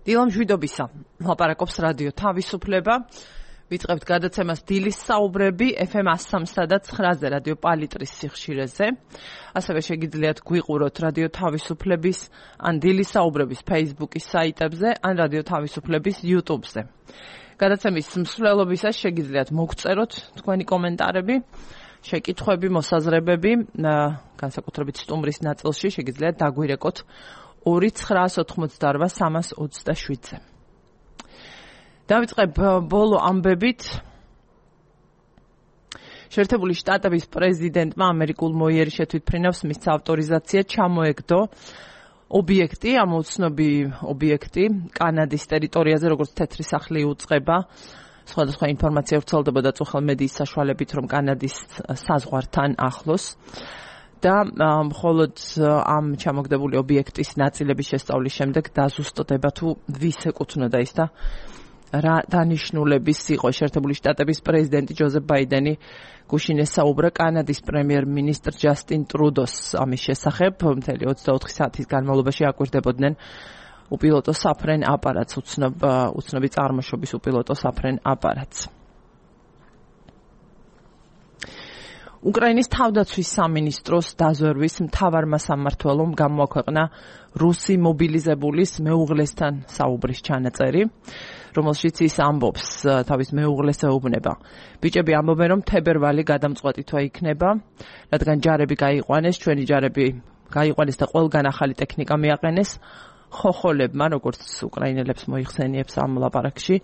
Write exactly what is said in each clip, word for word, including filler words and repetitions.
დილამშვიდობისა, ლაპარაკობს რადიო თავისუფლება. ვიწყებთ გადაცემას დილის საუბრები ეფ ემ one oh three და nine-ზე რადიო პალიტრის სიხშირეზე. ასევე შეგიძლიათ გვიყუროთ რადიო თავისუფლების ან დილის საუბრების Facebook-ის საიტებზე ან რადიო თავისუფლების YouTube-ზე. გადაცემის მსვლელობისას შეგიძლიათ მოგწეროთ თქვენი კომენტარები, შეკითხვები, მოსაზრებები, განსაკუთრებით სტუმრის ნაწილში შეგიძლიათ დაგვირეკოთ ორი ცხრაას ოთხმოცდაორვა სამას ოცდაშვიდზე. დავიწყებ ბოლო ამბებით. შეერთებული შტატების პრეზიდენტმა ამერიკულ მოიერი შეთვითფრინავს მის ავტორიზაცია ჩამოეგდო ობიექტი, ამოცნობი ობიექტი კანადის ტერიტორიაზე, როგორც თეთრი სახლი უწყება. სხვადასხვა ინფორმაცია ვრცელდებოდა წუხელ მედიის საშუალებით, რომ კანადის საზღვართან ახლოს. და მხოლოდ ამ ჩამოგდებული ობიექტის ნაწილების შესწავლის შემდეგ დაზუსტდება თუ ვის ეკუთვნოდა ის და რა დანიშნულების იყო. შეერთებული შტატების პრეზიდენტი ჯოზეფ ბაიდენი გუშინ ესაუბრა კანადის პრემიერ-მინისტრ ჯასტინ ტრუდოს ამის შესახებ. მთელი ოცდაოთხი საათის განმავლობაში აკვირდებოდნენ უპილოტო საფრენ აპარატს, უცნობ უცნობი წარმოშობის უპილოტო საფრენ აპარატს. უკრაინის თავდაცვის სამინისტროს დაზვერვის მთავარმა სამმართველომ გამოაქვეყნა რუსი მობილიზებულის მეუღლესთან საუბრის ჩანაწერი, რომელშიც ის ამბობს თავის მეუღლეს ეუბნება. ბიჭები ამბობენ, რომ თებერვალი გადამწყვეტითვა იქნება, რადგან ჯარები გაიყვანეს, ჩვენი ჯარები გაიყვანეს და ყველგან ახალი ტექნიკა მიაყენეს. ხოხოლებმა, როგორც უკრაინელებს მოიხსენიებს ამ ლაპარაკში,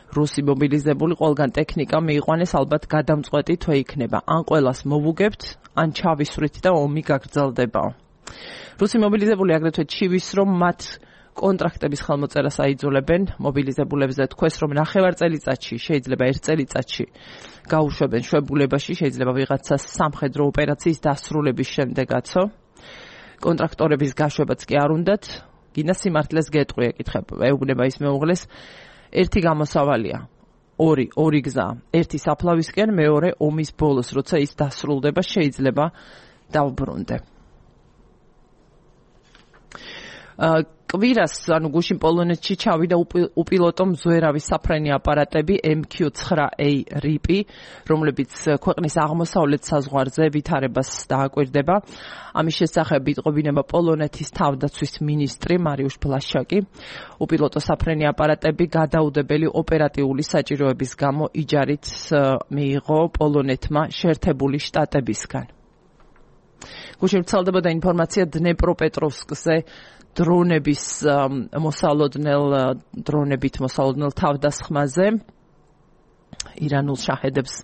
რუსი მობილიზებული ყველგან ტექნიკა მიიყვანეს, ალბათ გადამწყვეტი თვე იქნება. ან ყველას მოვუგებთ, ან ჩავისვრით და ომი გაგრძელდება. რუსი მობილიზებული აგრეთვე ჩივის, რომ მათ კონტრაქტების ხელმოწერას აიძულებენ. მობილიზებულებზე თქვეს, რომ ნახევარ წელიწადში, შეიძლება ერთ წელიწადში გაუშვებენ შვებულებაში, შეიძლება ვიღაცას სამხედრო ოპერაციის დასრულების შემდეგაცო. კონტრაქტორების გაშვებაც კი არ უნდათ. გინდა სიმართლეს გეტყვი, ეკითხებ, ეუბნება ის მეუღლეს. ერთი გამოსავალია, ორი, ორი გზა, ერთი საფლავისკენ, მეორე ომის ბოლოს, როცა ის დასრულდება, შეიძლება დავბრუნდე. კვირას, ანუ გუშინ პოლონეთში ჩავიდა უპილოტო მზვერავი საფრენი აპარატები ემ კიუ nine A რიპი, რომლებიც ქვეყნის აღმოსავლეთ საზღვარზე ვითარებას დააკვირდება. ამის შესახებ იტყობინება პოლონეთის თავდაცვის მინისტრი მარიუშ ბლაშაკი. უპილოტო საფრენი აპარატები გადაუდებელი ოპერატიული საჭიროების გამო იჯარით მიიღო პოლონეთმა შეერთებული შტატებისგან. გუშინ ვრცელდებოდა ინფორმაცია დნეპროპეტროვსკზე დრონების მოსალოდნელ დრონებით მოსალოდნელ თავდასხმაზე ირანულ შაჰედებს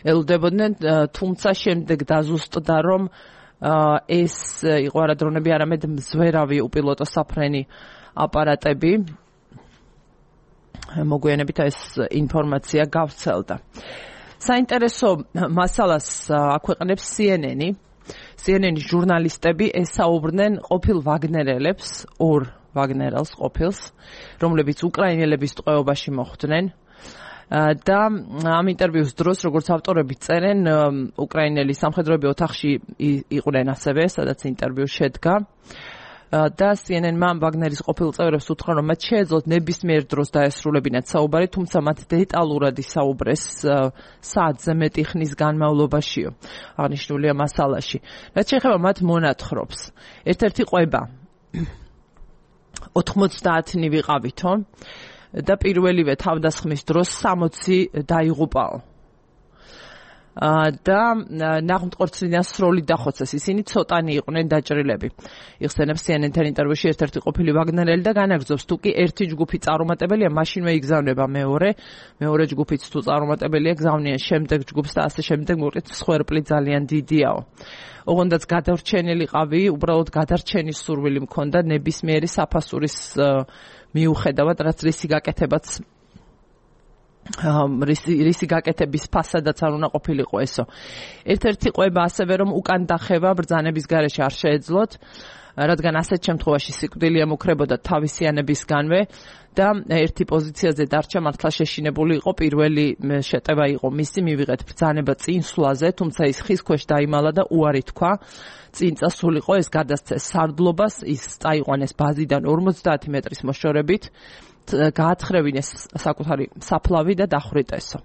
ელოდებოდნენ, თუმცა შემდეგ დაზუსტდა, რომ ეს იყო არა დრონები, არამედ მზვერავი უპილოტო საფრენი აპარატები. მოგვიანებით ეს ინფორმაცია გავრცელდა. საინტერესო მასალას აქვეყნებს C N N-ი. C N N-ის ჟურნალისტები ესაუბრნენ ყოფილ ვაგნერელებს, ორ ვაგნერელს ყოფილს, რომლებიც უკრაინელების ტყვეობაში მოხვდნენ. და ამ ინტერვიუს დროს, როგორც ავტორები წერენ, უკრაინელი სამხედროები ოთახში იყვნენ ასევე, სადაც ინტერვიუ შედგა. და C N N-მა ვაგნერის ყოფილ წევრებს უთხრა, რომ მათ შეეძლოთ ნებისმიერ დროს დაესრულებინათ საუბარი, თუმცა მათ დეტალურად ისაუბრეს საათზე მეტი ხნის განმავლობაშიო. აღნიშნულია მასალაში. რაც შეეხება მათ მონათხრობს. ერთ-ერთი ყვება ოთხმოცდაათი ვიყავითო და პირველივე თავდასხმის დროს სამოცი დაიღუპაო. და ნაღმტყორცლიდან სროლი დახოცეს. ისინი ცოტანი იყვნენ დაჭრილები. იხსენებს C N N-თან ინტერვიუში ერთ-ერთი ყოფილი ვაგნერელი და განაგრძობს, თუ კი ერთი ჯგუფი წარუმატებელია, მაშინვე იგზავნება მეორე, მეორე ჯგუფიც თუ წარუმატებელია, გზავნიან შემდეგ ჯგუფს და ასე შემდეგ, მოკლედ სხვერპლი ძალიან დიდიაო. ოღონდაც გადარჩენილიყავი, უბრალოდ გადარჩენის სურვილი მქონდა ნებისმიერი საფასურის მიუხედავად, რაც რისი გაკეთებაც რისი გაკეთების ფასადაც არ უნდა ყოფილიყო ესო. ერთ-ერთი ყვება ასევე, რომ უკან დახევა ბრძანების გარეშე არ შეეძლოთ, რადგან ასეთ შემთხვევაში სიკვდილი ემუქრებოდა თავისიანებისგანვე და ერთი პოზიციაზე დარჩა მართლა შეშინებული იყო. პირველი შეტევა იყო მისი მივიღეთ ბრძანება წინსვლაზე, თუმცა ის ხის ქვეშ დაიმალა და უარი თქვა. წინ წასულიყო, ეს გადასცეს სარდლობას, ის წაიყვანეს ბაზიდან ორმოცდაათი მეტრის მოშორებით გაათხრევინეს საკუთარი საფლავი და დახვრიტესო.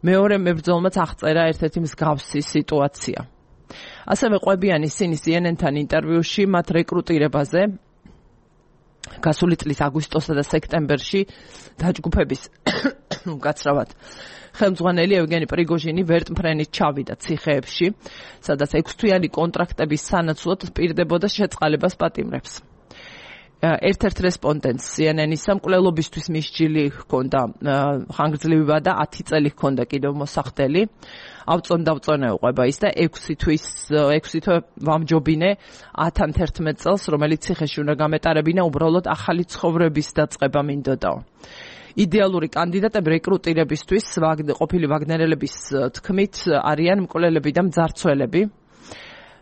მეორე მებრძოლმაც აღწერა ერთ-ერთი მსგავსი სიტუაცია. ასევე ყვებიან ისინი C N N-თან ინტერვიუში მათ რეკრუტირებაზე გასული წლის აგვისტოსა და სექტემბერში დაჯგუფების გაცრავად ხელმძღვანელი ევგენი პრიგოჟინი ვერტმფრენით ჩავიდა ციხეებში, სადაც ექვსთვიანი კონტრაქტების სანაცვლოდ პირდებოდა შეწყალებას პატიმრებს. ერთ-ერთ რესპონდენტს C N N-ისა მკვლელობისთვის მისჯილი ჰქონდა ხანგრძლივება და ათი წელი ჰქონდა კიდევ მოსახდელი. ავწონ-დავწონე უყვება ის და ექვსი თვის ექვსი თვე ვამჯობინე ათან თერთმეტ წელს, რომელიც ციხეში უნდა გამეტარებინა, უბრალოდ ახალი ცხოვრების დაწყება მინდოდაო. იდეალური კანდიდატები რეკრუტირებისთვის ყოფილი ვაგნერელების თქმით არიან მკვლელები და მძარცველები.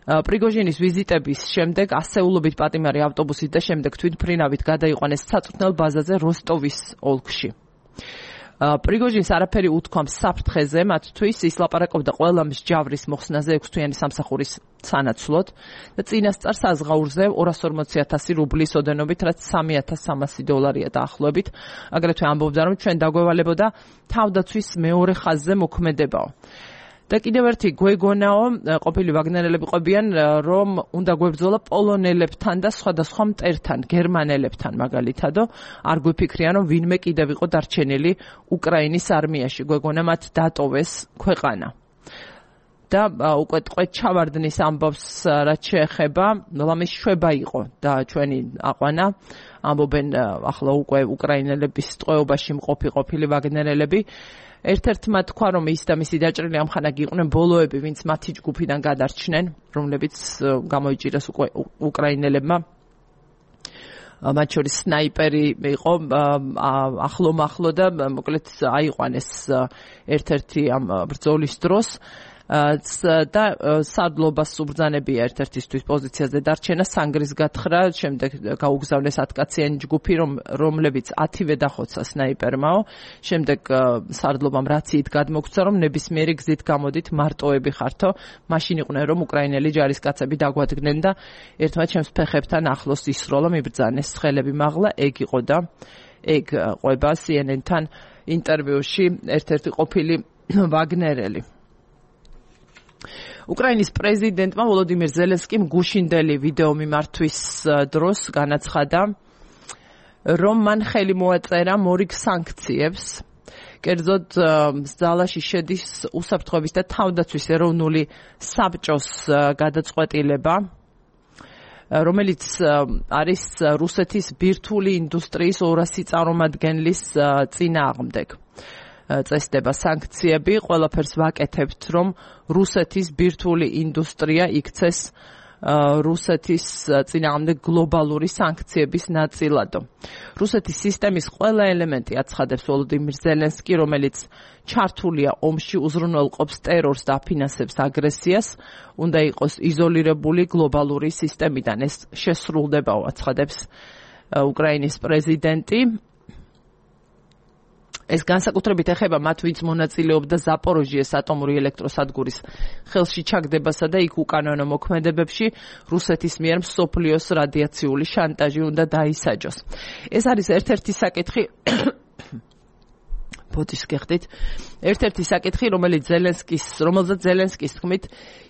პრიგოჟინის ვიზიტების შემდეგ ასეულობით პატიმარი ავტობუსით და შემდეგ თვითმფრინავით გადაიყვანეს საწვრთნელ ბაზაზე როსტოვის ოლქში. პრიგოჟინს არაფერი უთქვამს საფრთხეზე, მათთვის ის ლაპარაკობდა ყველა მსჯავრის მოხსნაზე ექვსთვიანი სამსახურის სანაცვლოდ და წინასწარ საზღაურზე ორას ორმოცი ათასი რუბლის ოდენობით, რაც სამი ათას სამასი დოლარია დაახლოებით. აგრეთვე ამბობდა, რომ ჩვენ დაგვევალებოდა თავდაცვის მეორე ხაზზე მოქმედებაო. და კიდევ ერთი გვეგონაო, ყოფილი ვაგნერელები ყვებიან, რომ უნდა გვებრძოლა პოლონელებთან და სხვადასხვა მტერთან, გერმანელებთან მაგალითადო, არ გვიფიქრიან, რომ ვინმე კიდევ იყო დარჩენილი უკრაინის არმიაში, გვეგონა მათ დატოვეს ქვეყანა. და უკვე ტყვედ ჩავარდნის ამბობს, რაც შეეხება, ლამის შვება იყო და ჩვენი აყვანა, ამბობენ ახლა უკვე უკრაინელების ტყვეობაში მყოფი ყოფილი ვაგნერელები. ერთ-ერთმა თქვა, რომ ის და მისი დაჭრილი ამხანაგი იყვნენ ბოლოები, ვინც მათი ჯგუფიდან გადარჩნენ, რომლებიც გამოიჭირეს უკვე უკრაინელებმა. მათ შორის სნაიპერი იყო ახლო-მახლო და მოკლედ აიყვანეს ერთ-ერთი ამ ბრძოლის დროს. და სარდლობას უბრძანებია ერთ-ერთისთვის პოზიციაზე დარჩენა, სანგრის გათხრა, შემდეგ გაუგზავნეს ათკაციანი ჯგუფი, რომლებიც ათივე დახოცა სნაიპერმაო, შემდეგ სარდლობამ რაციით გადმოგცდა, რომ ნებისმიერი გზით გამოდით მარტოები ხართო, მაშინ იყვნენ, რომ უკრაინელი ჯარისკაცები დაგვადგნენ და ერთმანეთს ჩემს ფეხებთან ახლოს ისროლა, მიბრძანეს ხელები მაღლა, ეგ იყო და ეგ ყვება C N N-თან ინტერვიუში ერთ-ერთი ყოფილი ვაგნერელი. უკრაინის პრეზიდენტმა ვოლოდიმირ ზელენსკიმ გუშინდელი ვიდეო მიმართვის დროს განაცხადა, რომ მან ხელი მოაწერა მორიგ სანქციებს. კერძოდ ზალაში შედის უსაფრთხოების და თავდაცვის ეროვნული საბჭოს გადაწყვეტილება, რომელიც არის რუსეთის ბირთვული ინდუსტრიის ორასი წარმომადგენლის წინააღმდეგ. წესდება სანქციები, ყველაფერს ვაკეთებთ, რომ რუსეთის ბირთვული ინდუსტრია იქცეს რუსეთის წინააღმდეგ გლობალური სანქციების ნაწილადო. რუსეთის სისტემის ყველა ელემენტი აცხადებს ვოლოდიმირ ზელენსკი, რომელიც ჩართულია ომში, უზრუნველყოფს ტერორს და აფინანსებს აგრესიას, უნდა იყოს იზოლირებული გლობალური სისტემიდან. ეს შესრულდებაო, აცხადებს უკრაინის პრეზიდენტი. ეს განსაკუთრებით ეხება მათ, ვინც მონაწილეობდა ზაპოროჟიეს ატომური ელექტროსადგურის ხელში ჩაგდებასა და იქ უკანონო მოქმედებებში რუსეთის მიერ მსოფლიოს რადიაციული შანტაჟი უნდა დაისაჯოს. ეს არის ერთ-ერთი საკითხი ბოდის გეხდით, ერთ-ერთი საკითხი, რომელიც ზელენსკის, რომელზეც ზელენსკის თქმით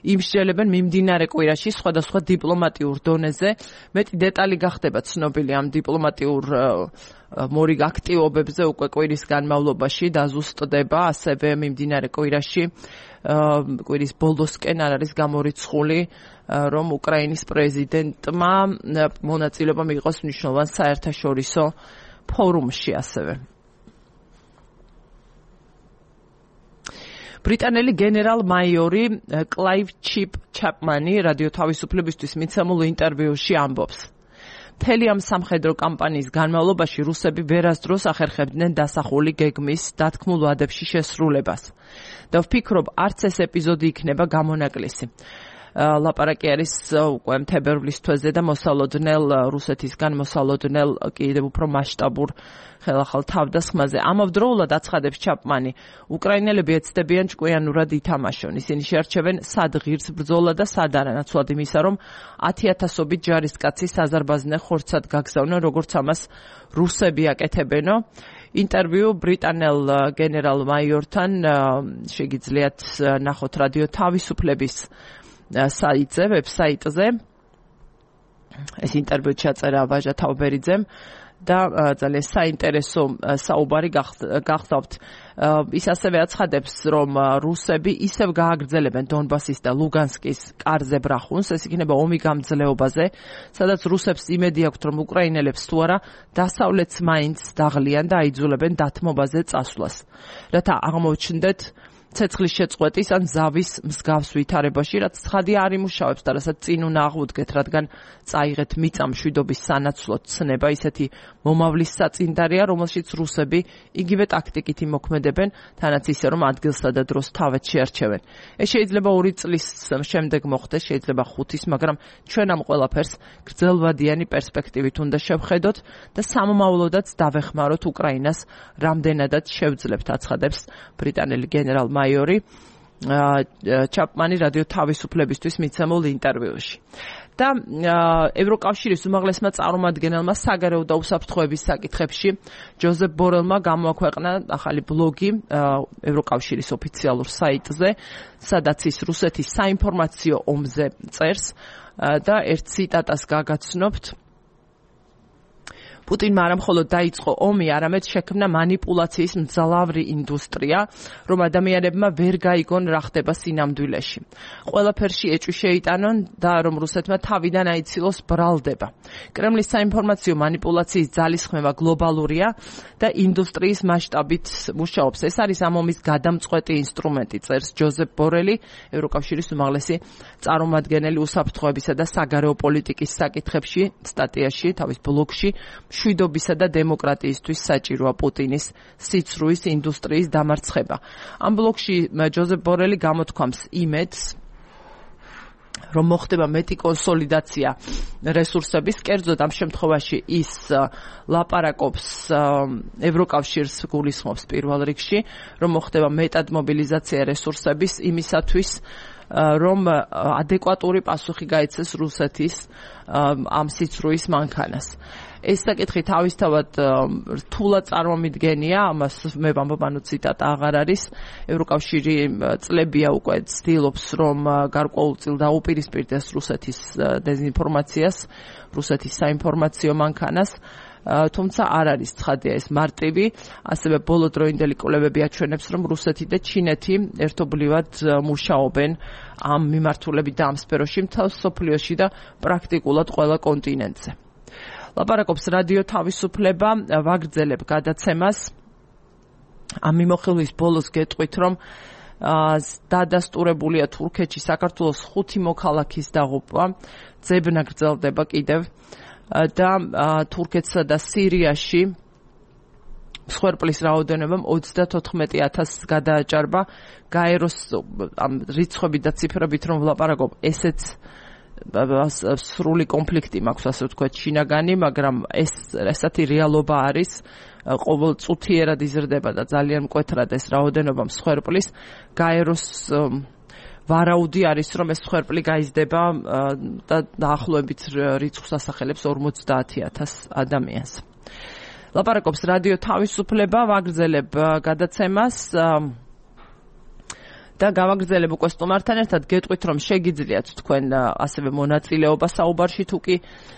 იმსჯელებენ მიმდინარე კვირაში სხვადასხვა დიპლომატიურ დონეზე. მეტი დეტალი გახდება ცნობილი ამ დიპლომატიურ მორიგ აქტივობებზე უკვე კვირის განმავლობაში დაზუსტდება, ასევე მიმდინარე კვირაში კვირის ბოლოსკენ არ არის გამორიცხული, რომ უკრაინის პრეზიდენტმა მონაწილეობა მიიღოს მნიშვნელოვან საერთაშორისო ფორუმში ასევე. ბრიტანელი გენერალ-მაიორი კლაივ ჩიპ ჩაპმანი რადიო თავისუფლებისთვის მიცემულ ინტერვიუში ამბობს, მთელი ამ სამხედრო კამპანიის განმავლობაში რუსები ვერასდროს ახერხებდნენ დასახული გეგმის დათქმულ ვადებში შესრულებას და ვფიქრობ, არც ეს ეპიზოდი იქნება გამონაკლისი. ლაპარაკი არის უკვე თებერვლის თვეზე და მოსალოდნელ რუსეთისგან მოსალოდნელ კიდევ უფრო მასშტაბურ ხელახალ თავდასხმაზე. ამავდროულად აცხადებს ჩაპმანი, უკრაინელები ეცდებიან ჭკვიანურად ითამაშონ. ისინი შეარჩევენ სად ღირს ბრძოლა და სად არა, ნაცვლად იმისა, რომ ათი ათასობით ჯარისკაცი საზარბაზნე ხორცად გაგზავნონ, როგორც ამას რუსები აკეთებენო. ინტერვიუ ბრიტანელ გენერალ მაიორთან შეგიძლიათ ნახოთ რადიო თავისუფლების საიტზე, ვებსაიტზე. ეს ინტერვიუ ჩაწერა ვაჟა თავბერიძემ და ძალიან საინტერესო საუბარი გახსოვთ. ის ასევე აცხადებს, რომ რუსები ისევ გააგრძელებენ დონბასის და ლუგანსკის კარზე ბრახუნს, ეს იქნება ომი გამძლეობაზე, სადაც რუსებს იმედი აქვთ, რომ უკრაინელებს თუ არა დასავლეთს მაინც დაღლიან და აიძულებენ დათმობაზე წასვლას. რათა აღმოჩნდეთ ცეცხლის შეწყვეტის ან ზავის მსგავს ვითარებაში, რაც ცხადი არ იმუშავებს და რასაც წინ უნდა აღვდგეთ, რადგან წაიღეთ მიწა მშვიდობის სანაცვლოდ ცნება, ისეთი მომავლის საწინდარია, რომელშიც რუსები იგივე ტაქტიკით იმოქმედებენ, თანაც ისე რომ ადგილსა და დროს თავად შეარჩევენ. ეს შეიძლება ორი წლის შემდეგ მოხდეს, შეიძლება ხუთის, მაგრამ ჩვენ ამ ყველაფერს გრძელვადიანი პერსპექტივით უნდა შევხედოთ და სამომავლოდაც დავეხმაროთ უკრაინას, რამდენადაც შევძლებთ, აცხადებს ბრიტანელი გენერალ მაიორი ჩაპმანი რადიო თავისუფლებისთვის მიცემულ ინტერვიუში. და ევროკავშირის უმაღლესმა წარმომადგენელმა საგარეო და უსაფრთხოების საკითხებში ჯოზეფ ბორელმა გამოაქვეყნა ახალი ბლოგი ევროკავშირის ოფიციალურ საიტზე, სადაც ის რუსეთის საინფორმაციო ომზე წერს და ერთ ციტატას გაგაცნობთ. პუტინმა არა მხოლოდ დაიწყო ომი, არამედ შექმნა манипуляციის მძლავრი ინდუსტრია, რომ ადამიანებმა ვერ გაიგონ რა ხდება სინამდვილეში. ყველაფერში ეჭვი შეიტანონ და რომ რუსეთმა თავიდან აიცილოს ბრალდება. კრემლის საინფორმაციო манипуляციის ძალისხმევა გლობალურია და ინდუსტრიის მასშტაბით მუშაობს. ეს არის ამ ომის გადამწყვეტი ინსტრუმენტი, წერს ჯოზეფ ბორელი, ევროკავშირის უმაღლესი წარმომადგენელი უსაფრთხოებისა და საგარეო პოლიტიკის საკითხებში, სტატიაში, თავის ბლოგში. მშვიდობისა და დემოკრატიისთვის საჭიროა პუტინის სიცრუის ინდუსტრიის დამარცხება. ამ ბლოგში ჯოზეფ ბორელი გამოთქვამს იმედს, რომ მოხდება მეტი კონსოლიდაცია რესურსების, კერძოდ ამ შემთხვევაში ის ლაპარაკობს ევროკავშირს გულისხმობს პირველ რიგში, რომ მოხდება მეტად მობილიზაცია რესურსების იმისათვის, რომ ადეკვატური პასუხი გაეცეს რუსეთის ამ სიცრუის მანქანას. ეს საკითხი თავისთავად რთულად წარმომიდგენია, ამას მე ვამბობ, ანუ ციტატა აღარ არის. ევროკავშირი წლებია უკვე ცდილობს, რომ გარკვეულწილ დაუპირისპირდეს რუსეთის დეზინფორმაციას, რუსეთის საინფორმაციო მანქანას. თუმცა არ არის ცხადია ეს მარტივი, ასევე ბოლოდროინდელი კვლევები აჩვენებს, რომ რუსეთი და ჩინეთი ერთობლივად მუშაობენ ამ მიმართულებით და ამ სფეროში მთელ მსოფლიოში და პრაქტიკულად ყველა კონტინენტზე. ლაპარაკობს რადიო თავისუფლება, ვაგრძელებ გადაცემას. ამ მიმოხილვის ბოლოს გეტყვით, რომ დადასტურებულია თურქეთში საქართველოს ხუთი მოქალაქის დაღუპვა, ძებნა გრძელდება კიდევ და თურქეთსა და სირიაში მსხვერპლის რაოდენობამ ოცდათოთხმეტი ათასს გადააჭარბა. გაეროს ამ რიცხვებით და ციფრებით რომ ვლაპარაკობ, ესეც სრული კონფლიქტი მაქვს, ასე ვთქვათ, შინაგანი, მაგრამ ეს ესეთი რეალობა არის, ყოველ წუთიერად იზრდება და ძალიან მკვეთრად ეს რაოდენობა მსხვერპლის. გაეროს ვარაუდი არის, რომ ეს მსხვერპლი გაიზრდება და დაახლოებით რიცხვს ასახელებს ორმოცდაათი ათასს ადამიანს. ლაპარაკობს რადიო თავისუფლება, ვაგრძელებ გადაცემას და გავაგრძელებ უკვე სტუმართან ერთად, გეტყვით, რომ შეგიძლიათ თქვენ ასევე მონაწილეობა საუბარში, თუ კი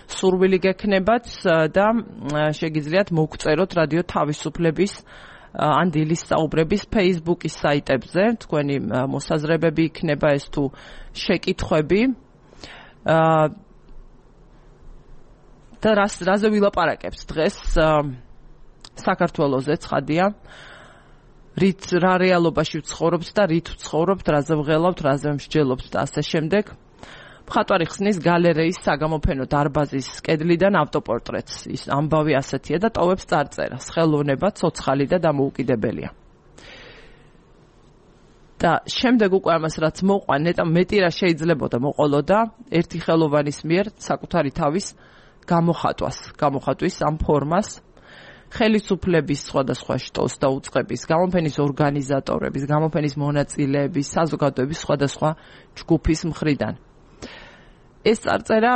სურვილი გექნებათ და შეგიძლიათ მოგწეროთ რადიო თავისუფლების ან დილის საუბრების Facebook-ის საიტებზე, თქვენი მოსაზრებები იქნება ეს თუ შეკითხვები. და რას რაზე ვილაპარაკებთ დღეს საქართველოზე, ცხადია. რით რა რეალობაში ვცხოვრობთ და რით ვცხოვრობთ, რაზე ვღელავთ, რაზე ვმსჯელობთ და ასე შემდეგ. მხატვარი ხსნის გალერეის საგამოფენო დარბაზის კედლიდან ავტოპორტრეტს. ის ამბავი ასეთია და ტოვებს წარწერას. ხელოვნება, ცოცხალი და დამოუკიდებელია. და შემდეგ უკვე ამას რაც მოყვა ნეტა მეტი რა შეიძლებოდა მოყოლოდა ერთი ხელოვანის მიერ საკუთარი თავის გამოხატვას, გამოხატვის ამ ფორმას ხელისუფლების სხვადასხვა შტოს და უწყების, გამოფენის ორგანიზატორების, გამოფენის მონაწილეების, საზოგადოების სხვადასხვა ჯგუფის მხრიდან. ეს წარწერა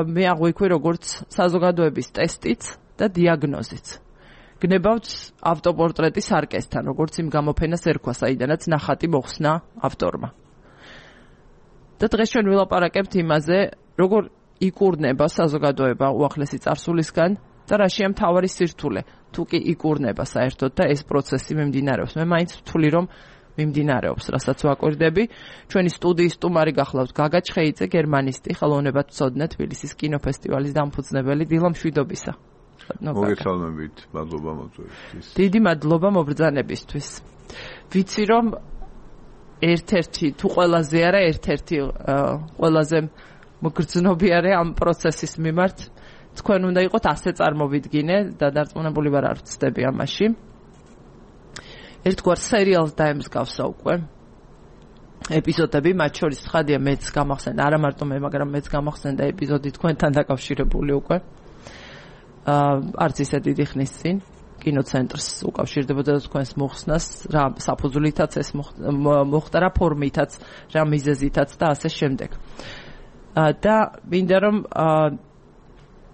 მე აღვიქვი როგორც საზოგადოების ტესტიც და დიაგნოზიც. გნებავთ ავტოპორტრეტის არკესთან, როგორც იმ გამოფენას ერქვა, საიდანაც ნახატი მოხსნა ავტორმა. და დღეს ჩვენ ვილაპარაკებთ იმაზე, როგორ იკურნება საზოგადოება უახლესი წარსულისგან და რაშია მთავარი სირთულე, თუ კი იკურნება საერთოდ და ეს პროცესი მიმდინარეობს. მე მაინც ვთვლი, რომ მიმდინარეობს, რასაც ვაკვირდები. ჩვენი სტუდიის სტუმარი გახლავთ გაგა ჩხეიძე, გერმანისტი, ხელოვნებათმცოდნე, თბილისის კინოფესტივალის დამფუძნებელი. დილა მშვიდობისა. მოგესალმებით, მადლობა მოწვევისთვის. დიდი მადლობა მობრძანებისთვის. ვიცი რომ ერთ-ერთი თუ ყველაზე არა ერთ-ერთი ყველაზე მგრძნობიარე ამ პროცესის მიმართ თქვენ უნდა იყოთ ასე წარმოვიდგინე და დარწმუნებული ვარ არ ვცდები ამაში. ერთგვარ სერიალს დაემსგავსა უკვე ეპიზოდები, მათ შორის ცხადია მეც გამახსენდა, არა მარტო მე, მაგრამ მეც გამახსენდა ეპიზოდი თქვენთან დაკავშირებული უკვე. არც ისე დიდი ხნის წინ კინოცენტრს უკავშირდებოდა თქვენს მოხსნას, რა საფუძვლითაც ეს მოხდა, რა ფორმითაც, რა მიზეზითაც და ასე შემდეგ. და მინდა რომ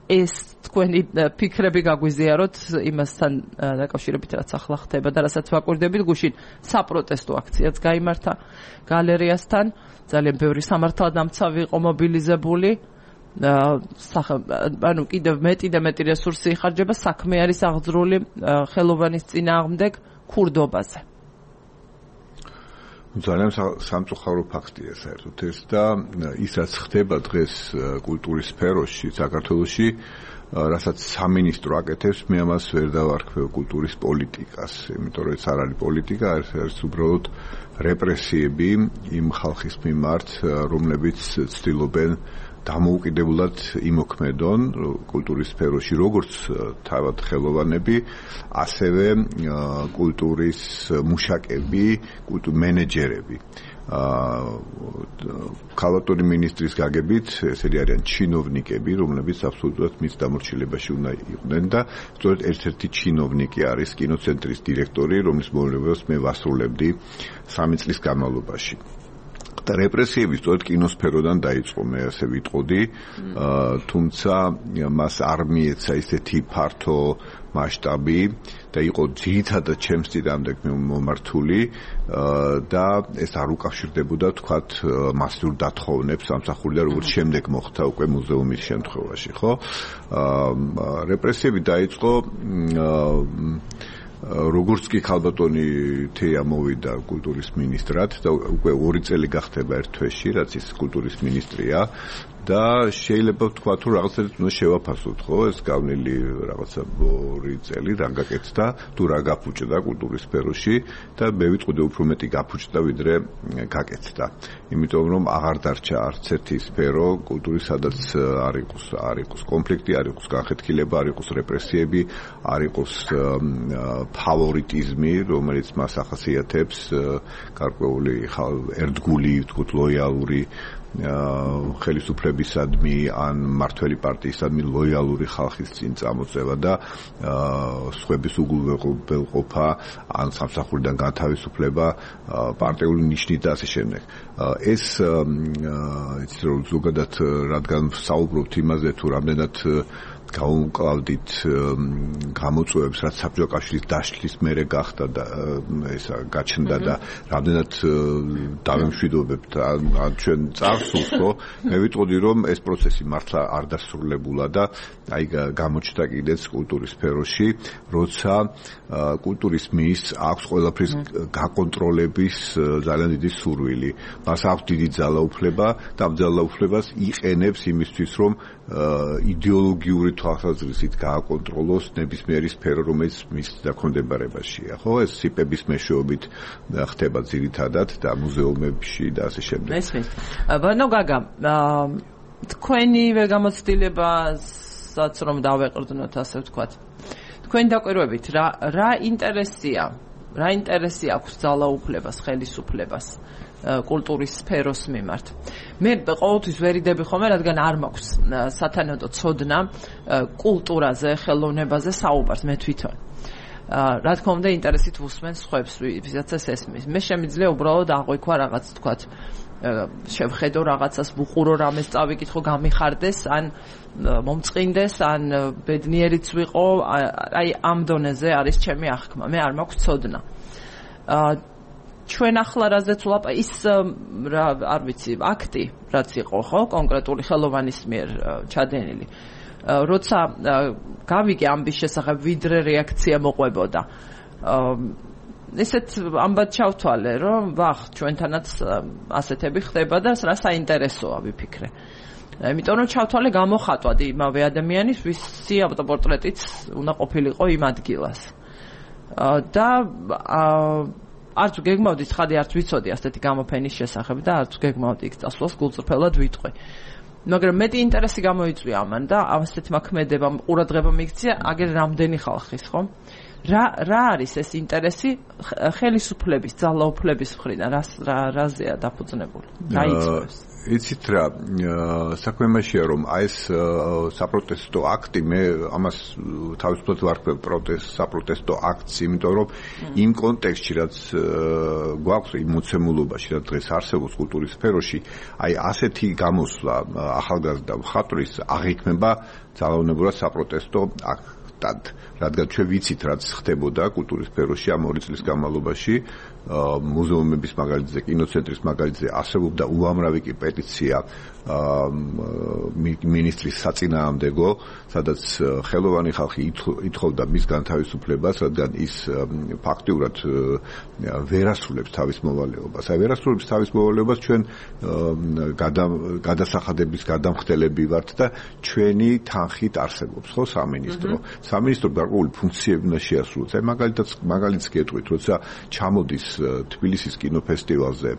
ეს თქვენი ფიქრები გაგვიზიაროთ იმასთან დაკავშირებით, რაც ახლა ხდება და რასაც ვაკვირდებით, გუშინ საპროტესტო აქციაც გაიმართა გალერეასთან, ძალიან ბევრი სამართალდამცავი იყო მობილიზებული. ანუ კიდევ მეტი და მეტი რესურსი იხარჯება საქმე არის აღძრული ხელოვანის წინააღმდეგ ქურდობაზე. ძალიან სამწუხარო ფაქტია საერთოდ ეს და ის რაც ხდება დღეს კულტურის სფეროში საქართველოში, რასაც სამინისტრო აკეთებს, მე ამას ვერ დავარქმევ კულტურის პოლიტიკას, იმიტომ რომ ეს არ არის პოლიტიკა, ეს არის უბრალოდ რეპრესიები იმ ხალხის მიმართ, რომლებიც ცდილობენ დამოუკიდებლად იმოქმედონ კულტურის სფეროში, როგორც თავად ხელოვანები, ასევე კულტურის მუშაკები, კულტურის მენეჯერები. ქალბატონი მინისტრის გაგებით, ესენი არიან ჩინოვნიკები, რომლებიც აბსოლუტურად მის დამორჩილებაში უნდა იყვნენ და სწორედ ერთ-ერთი ჩინოვნიკი არის კინოცენტრის დირექტორი, რომლის მოვალეობას მე ვასრულებდი სამი წლის განმავლობაში. და რეპრესიები სწორედ კინოსფეროდან დაიწყო, მე ასე ვიტყოდი, თუმცა მას არ მიეცა ისეთი ფართო მასშტაბი და იყო ძირითადად ჩემს წინააღმდეგ მომართული და ეს არ უკავშირდებოდა თქვათ მასიურ დათხოვნებს სამსახურიდან, როგორც შემდეგ მოხდა უკვე მუზეუმის შემთხვევაში, ხო? რეპრესიები დაიწყო როგორც კი ქალბატონი თეა მოვიდა კულტურის მინისტრად და უკვე ორი წელი გახდება ერთ თვეში, რაც ის კულტურის მინისტრია და შეიძლება ვთქვა თუ რაღაცა უნდა შევაფასოთ, ხო, ეს გავლილი რაღაცა ორი წელი რა გაკეთდა, თუ რა გაფუჭდა კულტურის სფეროში და მე ვიტყოდი უფრო მეტი გაფუჭდა ვიდრე გაკეთდა. იმიტომ რომ აღარ დარჩა არც ერთი სფერო კულტურის, სადაც არ იყოს არ იყოს კონფლიქტი, არ იყოს განხეთქილება, არ იყოს რეპრესიები, არ იყოს ფავორიტიზმი, რომელიც მას ახასიათებს, გარკვეული ერთგული, ვთქვათ, ლოიალური ხელისუფლებისადმი ან მმართველი პარტიისადმი ლოიალური ხალხის წინ წამოწევა და სხვების უგულვებელყოფა ან სამსახურიდან განთავისუფლება პარტიული ნიშნით და ასე შემდეგ. ეს იცით რომ ზოგადად რადგან საუბრობთ იმაზე თუ რამდენად გაუმკლავდით გამოწვევებს, რაც საბჭოთა კავშირის დაშლის მერე გახდა და ესა გაჩნდა და რამდენად დავემშვიდობებთ ან ჩვენ წარსულს, ხო? მე ვიტყოდი რომ ეს პროცესი მართლა არ დასრულებულა და აი გამოჩნდა კიდეც კულტურის სფეროში, როცა კულტურის მინისტრს აქვს ყველაფრის გაკონტროლების ძალიან დიდი სურვილი. მას აქვს დიდი ძალაუფლება და ამ ძალაუფლებას იყენებს იმისთვის, რომ იდეოლოგიური თვალსაზრისით გააკონტროლოს ნებისმიერი სფერო, რომელიც მის დაქვემდებარებაშია, ხო? ეს სიპების მეშვეობით ხდება ძირითადად და მუზეუმებში და ასე შემდეგ. მესმის. ბანო გაგა, თქვენივე გამოცდილებასაც რომ დავეყრდნოთ, ასე ვთქვათ. თქვენი დაკვირვებით რა რა ინტერესია რა ინტერესი აქვს ძალაუფლებას, ხელისუფლებას კულტურის სფეროს მიმართ. მე ყოველთვის ვერიდები ხოლმე, რადგან არ მაქვს სათანადო ცოდნა კულტურაზე, ხელოვნებაზე საუბარს მე თვითონ. რა თქმა უნდა, ინტერესით ვუსმენ სხვებს, ვისაც ეს ესმის. მე შემიძლია უბრალოდ აღვიქვა რაღაც, თქვათ, შევხედო რაღაცას, ვუყურო რამეს წავიკითხო, გამიხარდეს, ან მომწყინდეს, ან ბედნიერიც ვიყო, აი ამ დონეზე არის ჩემი აღქმა. მე არ მაქვს ცოდნა. ჩვენ ახლა რაზეც ვლაპარაკობ, ის რა არ ვიცი, აქტი, რაც იყო, ხო, კონკრეტული ხელოვანის მიერ ჩადენილი. როცა გავიგე ამის შესახებ, ვიდრე რეაქცია მოყვებოდა. ესეთ ამბად ჩავთვალე, რომ ვახ, ჩვენთანაც ასეთები ხდება და რა საინტერესოა ვიფიქრე. იმიტომ რომ ჩავთვალე გამოხატვად იმავე ადამიანის, ვისი ავტოპორტრეტიც უნდა ყოფილიყო იმ ადგილას. და არც გეგმავდი, ცხადი არც ვიცოდი ასეთი გამოფენის შესახებ და არც გეგმავდი იქ წასვლას, გულწრფელად ვიტყვი. მაგრამ მეტი ინტერესი გამოიწვია ამან და ასეთმა ქმედებამ ყურადღება მიქცია, აგერ რამდენი ხალხის, ხო? რა რა არის ეს ინტერესი ხელისუფლების, ძალაუფლების მხრიდან, რა რაზეა დაფუძნებული? რა იწვევს? იცით რა, საქმე იმაშია, რომ აი ეს საპროტესტო აქტი, მე ამას თავისუფლად ვარქვევ პროტესტ, საპროტესტო აქტს, იმიტომ რომ იმ კონტექსტში, რაც გვაქვს იმ მოცემულობაში, რაც დღეს არსებობს კულტურის სფეროში, აი ასეთი გამოსვლა ახალგაზრდა მხატვრის აღიქმება ძალაუნებურად საპროტესტო აქტად, რადგან ჩვენ ვიცით, რაც ხდებოდა კულტურის სფეროში ამ ორი წლის განმავლობაში, მუზეუმების მაგალითზე, კინოცენტრის მაგალითზე არსებობდა უამრავი კი პეტიცია მინისტრის საწინააღმდეგო, სადაც ხელოვანი ხალხი ითხოვდა მის განთავისუფლებას, რადგან ის ფაქტიურად ვერასრულებს თავის მოვალეობას. აი ვერასრულებს თავის მოვალეობას ჩვენ გადასახადების გადამხდელები ვართ და ჩვენი თანხით არსებობს, ხო, სამინისტრო. სამინისტრო გარკვეული ფუნქციები უნდა შეასრულოს. აი მაგალითად მაგალითს გეტყვით, როცა ჩამოდის თბილისის კინოფესტივალზე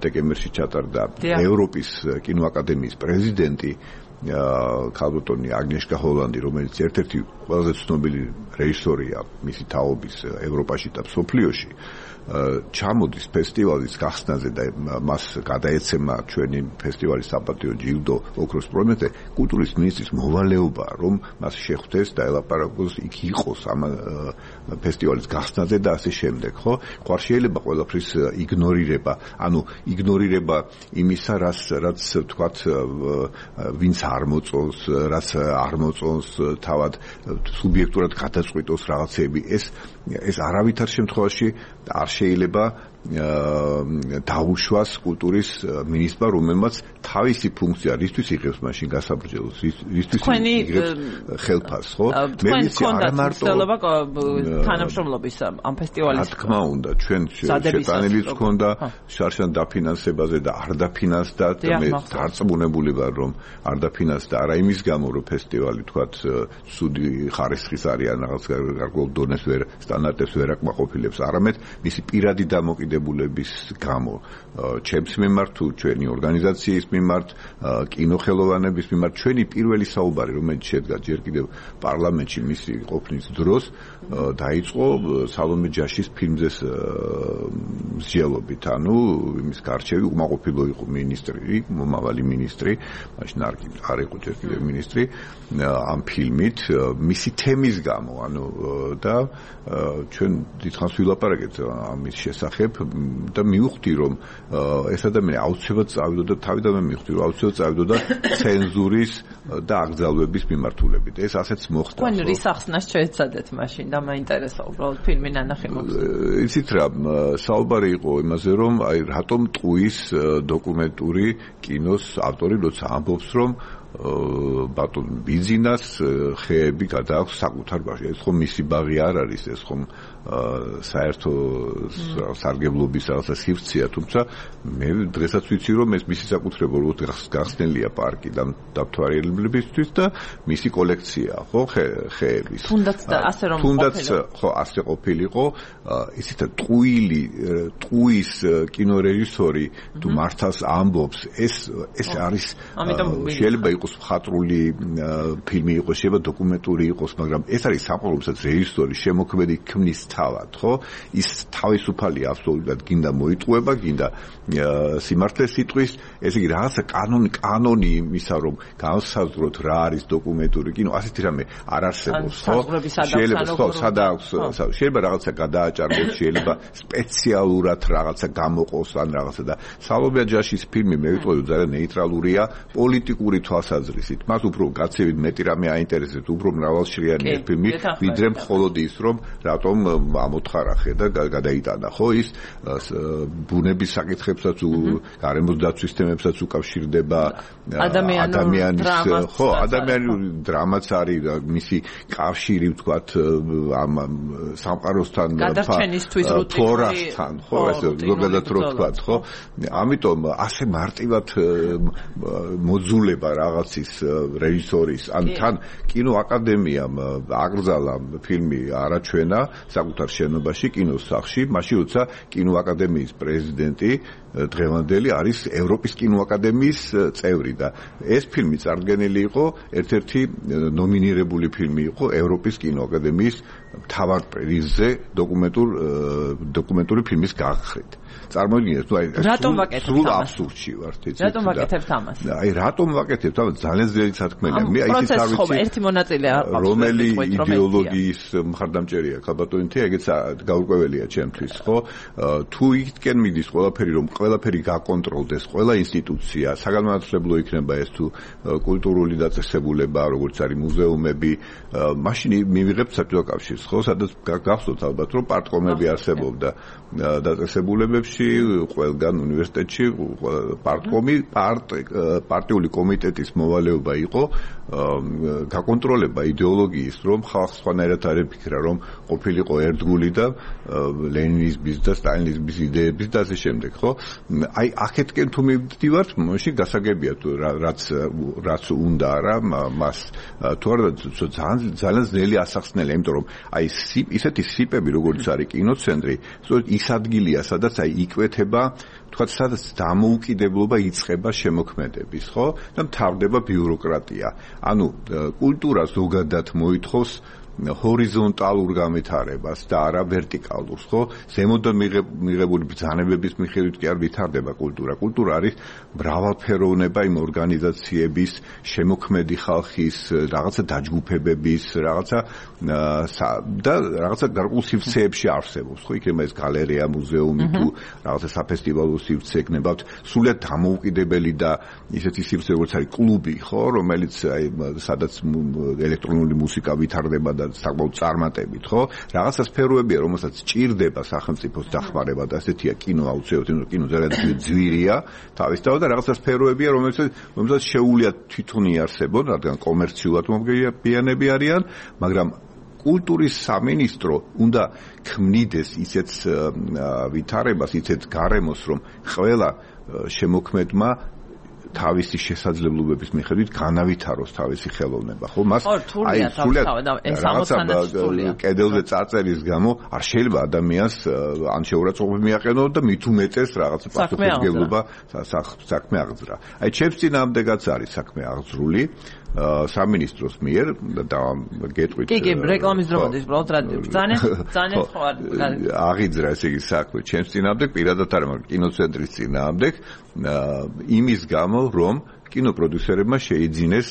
დეკემბერში ჩატარდა ევროპის კინოაკადემიის პრეზიდენტი ქალბატონი აგნიეშკა ჰოლანდი, რომელიც ერთ-ერთი ყველაზე ცნობილი რეჟისორია მისი თაობის ევროპაში და მსოფლიოში, ჩამოდის ფესტივალის გახსნაზე და მას გადაეცემა ჩვენი ფესტივალის საპატიო ჯილდო ოქროს პრემიაზე, კულტურის მინისტრის მოვალეობაა, რომ მას შეხვდეს და ელაპარაკოს, იქ იყოს ამ ფესტივალის გახსნაზე და ასე შემდეგ, ხო? ხوار შეიძლება ყველაფრის იგნორირება, ანუ იგნორირება იმისა, რაც რაც თქვათ, ვინც არ მოწონს, რაც არ მოწონს, თავად სუბიექტურად გადაწყვიტოს რაღაცები, ეს ეს არავითარ შემთხვევაში არ შეიძლება დაუშვას კულტურის მინისტრმა, რომელმაც თავისი ფუნქცია რისთვის იღებს მაშინ გასაბრჯელოს, რისთვის იღებს ხელფას, ხო? მე ვიცი არა მარტო თანამშრომლობის ამ ფესტივალის. რა თქმა უნდა, ჩვენ შეტანილიც ჰქონდა შარშან დაფინანსებაზე და არ დაფინანსდა და მე დარწმუნებული ვარ, რომ არ დაფინანსდა არა იმის გამო, რომ ფესტივალი თქვათ სუდი ხარისხის არის ან რაღაც გარკვეულ დონეს ვერ სტანდარტებს ვერ აკმაყოფილებს, არამედ მისი პირადი დამოკიდებულების გამო, ჩემს მიმართ თუ ჩვენი ორგანიზაციის მიმართ, კინოხელოვანების მიმართ, ჩვენი პირველი საუბარი, რომელიც შედგა ჯერ კიდევ პარლამენტში მისი ყოფნის დროს, დაიწყო სალომე ჯაშის ფილმზეს მსჯელობით, ანუ იმის გარჩევი უკმაყოფილო იყო მინისტრი, მომავალი მინისტრი, მაშინ არ იყო ჯერ კიდევ მინისტრი, ამ ფილმით, მისი თემის გამო, ანუ და ჩვენ დიდხანს ვილაპარაკეთ ამის შესახებ და მივხვდი, რომ ეს ადამიანი აუცილებლად წავიდოდა, თავიდანვე მივხვდი, რომ აუცილებლად წავიდოდა ცენზურის და აკრძალვების მიმართულებით. ეს ასეც მოხდა. თქვენ რის ახსნას შეეცადეთ მაშინ და მაინტერესა უბრალოდ ფილმი ნანახი მოხდა. იცით რა, საუბარი იყო იმაზე, რომ აი რატომ ტყუის დოკუმენტური კინოს ავტორი როცა ამბობს, რომ ბატონ ბიზინას ხეები გადააქვს საკუთარ ბაღში. ეს ხომ მისი ბაღი არ არის, ეს ხომ საერთო სარგებლობის რაღაცა სივრცეა, თუმცა მე დღესაც ვიცი, რომ ეს მისი საკუთრება რო გახსნილია პარკი და დამთვალიერებლებისთვის და მისი კოლექცია, ხო, ხეების. თუნდაც და ასე რომ თუნდაც ხო ასე ყოფილიყო, ისეთ ტყუილი, ტყუის კინორეჟისორი თუ მართავს ამბობს, ეს ეს არის შეიძლება იყოს მხატვრული ფილმი იყოს, შეიძლება დოკუმენტური იყოს, მაგრამ ეს არის სამყარო, რომელსაც რეჟისორი შემოქმედი ქმნის თავად, ხო? ის თავისუფალია აბსოლუტურად, გინდა მოიტყუება, გინდა სიმართლეს იტყვის, ესე იგი რაღაცა კანონი, კანონი იმისა, რომ განსაზღვროთ რა არის დოკუმენტური კინო, ასეთი რამე არ არსებობს, ხო? შეიძლება ხო, სადააქვს, შეიძლება რაღაცა გადააჭარბოს, შეიძლება სპეციალურად რაღაცა გამოყოს ან რაღაცა და სალომეა ჯაშის ფილმი მე ვიტყოდი ძალიან ნეიტრალურია პოლიტიკური თვალსაზრისით. მას უფრო გაცივით მეტი რამე აინტერესებს, უფრო მრავალშრიანი ეს ფილმი, ვიდრე მხოლოდ ის, რომ რატომ ამოთხარახე და გადაიტანა, ხო, ის ბუნების საკითხებსაც, გარემოს დაცვის თემებსაც უკავშირდება, ადამიანის, ხო, ადამიანური დრამაც არის, მისი კავშირი, ვთქვათ, ამ სამყაროსთან, ფლორასთან, ხო, ეს ზოგადად რო ვთქვათ, ხო? ამიტომ ასე მარტივად მოძულება რაღაცის რეჟისორის, ან თან კინოაკადემიამ აკრძალა ფილმი არაჩვენა საკუთარ შენობაში, კინოს სახლში, მაშინ როცა კინოაკადემიის პრეზიდენტი დღევანდელი არის ევროპის კინოაკადემიის წევრი და ეს ფილმი წარდგენილი იყო, ერთ-ერთი ნომინირებული ფილმი იყო ევროპის კინოაკადემიის მთავარ პრიზზე დოკუმენტურ დოკუმენტური ფილმის გაგხრით. წარმოიდგინეთ, თუ აი რატომ ვაკეთებ ამას? აბსურდში ვართ, იცით? რატომ ვაკეთებ ამას? აი რატომ ვაკეთებ ამას? ძალიან ძლიერი სათქმელია. მე აი ის არ ვიცი. ერთი მონაწილე არ ყავს. რომელი იდეოლოგიის მხარდამჭერია ქალბატონითი, ეგეც გაურკვეველია ჩემთვის, ხო? თუ იქიდან მიდის ყველაფერი, რომ ყველაფერი გაკონტროლდეს, ყველა ინსტიტუცია, საგანმანათლებლო იქნება ეს თუ კულტურული დაწესებულება, როგორც არის მუზეუმები, მაშინ მივიღებთ საბჭოთა კავშირს, ხო? სადაც გახსოვთ ალბათ, რომ პარტკომები არსებობდა დაწესებულებებში, ყველგან უნივერსიტეტში პარტკომი, პარტიული კომიტეტის მოვალეობა იყო გაკონტროლება იდეოლოგიის, რომ ხალხს სხვანაირად არ ეფიქრა, რომ ყოფილიყო ერთგული და ლენინიზმის და სტალინიზმის იდეების და ასე შემდეგ, ხო? აი აქეთკენ თუ მივდივართ, მაშინ გასაგებია თუ რაც რაც უნდა არა მას თუ არა ძალიან ძალიან ძნელი ასახსნელია, იმიტომ რომ აი ისეთი სიპები როგორც არის კინოცენტრი, ის ადგილია, სადაც აი იკვეთება, თქვათ, სადაც დამოუკიდებლობა იწყება შემოქმედების, ხო? და მთავრდება ბიუროკრატია. ანუ კულტურა ზოგადად მოითხოვს ჰორიზონტალურ განვითარებას და არა ვერტიკალურს, ხო? ზემოდან მიღებული ბრძანებების მიხედვით კი არ ვითარდება კულტურა. კულტურა არის მრავალფეროვნება იმ ორგანიზაციების, შემოქმედი ხალხის, რაღაცა დაჯგუფებების, რაღაცა და რაღაცა გარკვეულ სივრცეებში არსებობს, ხო? იქნება ეს გალერეა, მუზეუმი თუ რაღაცა საფესტივალო სივრცე იქნება, სულიად დამოუკიდებელი და ისეთი სივრცე, როგორც არის კლუბი, ხო? რომელიც აი სადაც ელექტრონული მუსიკა ვითარდება და საკმაოდ წარმატებით, ხო? რაღაცა სფეროებია, რომელსაც ჭირდება სახელმწიფოს დახმარება და ასეთია კინო აუცილებლად, კინო ძალიან ძვირია თავისთავად და რაღაცა სფეროებია, რომელსაც რომელსაც შეუძლია თვითონ იარსებონ, რადგან კომერციულად მოგვიანები არიან, მაგრამ კულტურის სამინისტრო უნდა ქმნიდეს ისეთ ვითარებას, ისეთ გარემოს, რომ ყველა შემოქმედმა თავისი შესაძლებლობების მიხედვით განავითაროს თავისი ხელოვნება, ხო? მას აი სულიად ეს ამოცანა კედელზე წარწერის გამო არ შეიძლება ადამიანს ან შეურაცხყოფა მიაყენო და მით უმეტეს რაღაც პასუხისმგებლობა საქმე აღძრა. აი ჩემს წინააღმდეგაც არის საქმე აღძრული სამინისტროს მიერ და გეტყვით. კი, კი, რეკლამის დროინდ უბრალოდ რადიო. ძალიან ძალიან ხო არ აღიძრა ესე იგი საქმე ჩემს წინააღმდეგ, პირადად არა, მაგრამ კინოცენტრის წინააღმდეგ იმის გამო, რომ კინოპროდიუსერებმა შეიძინეს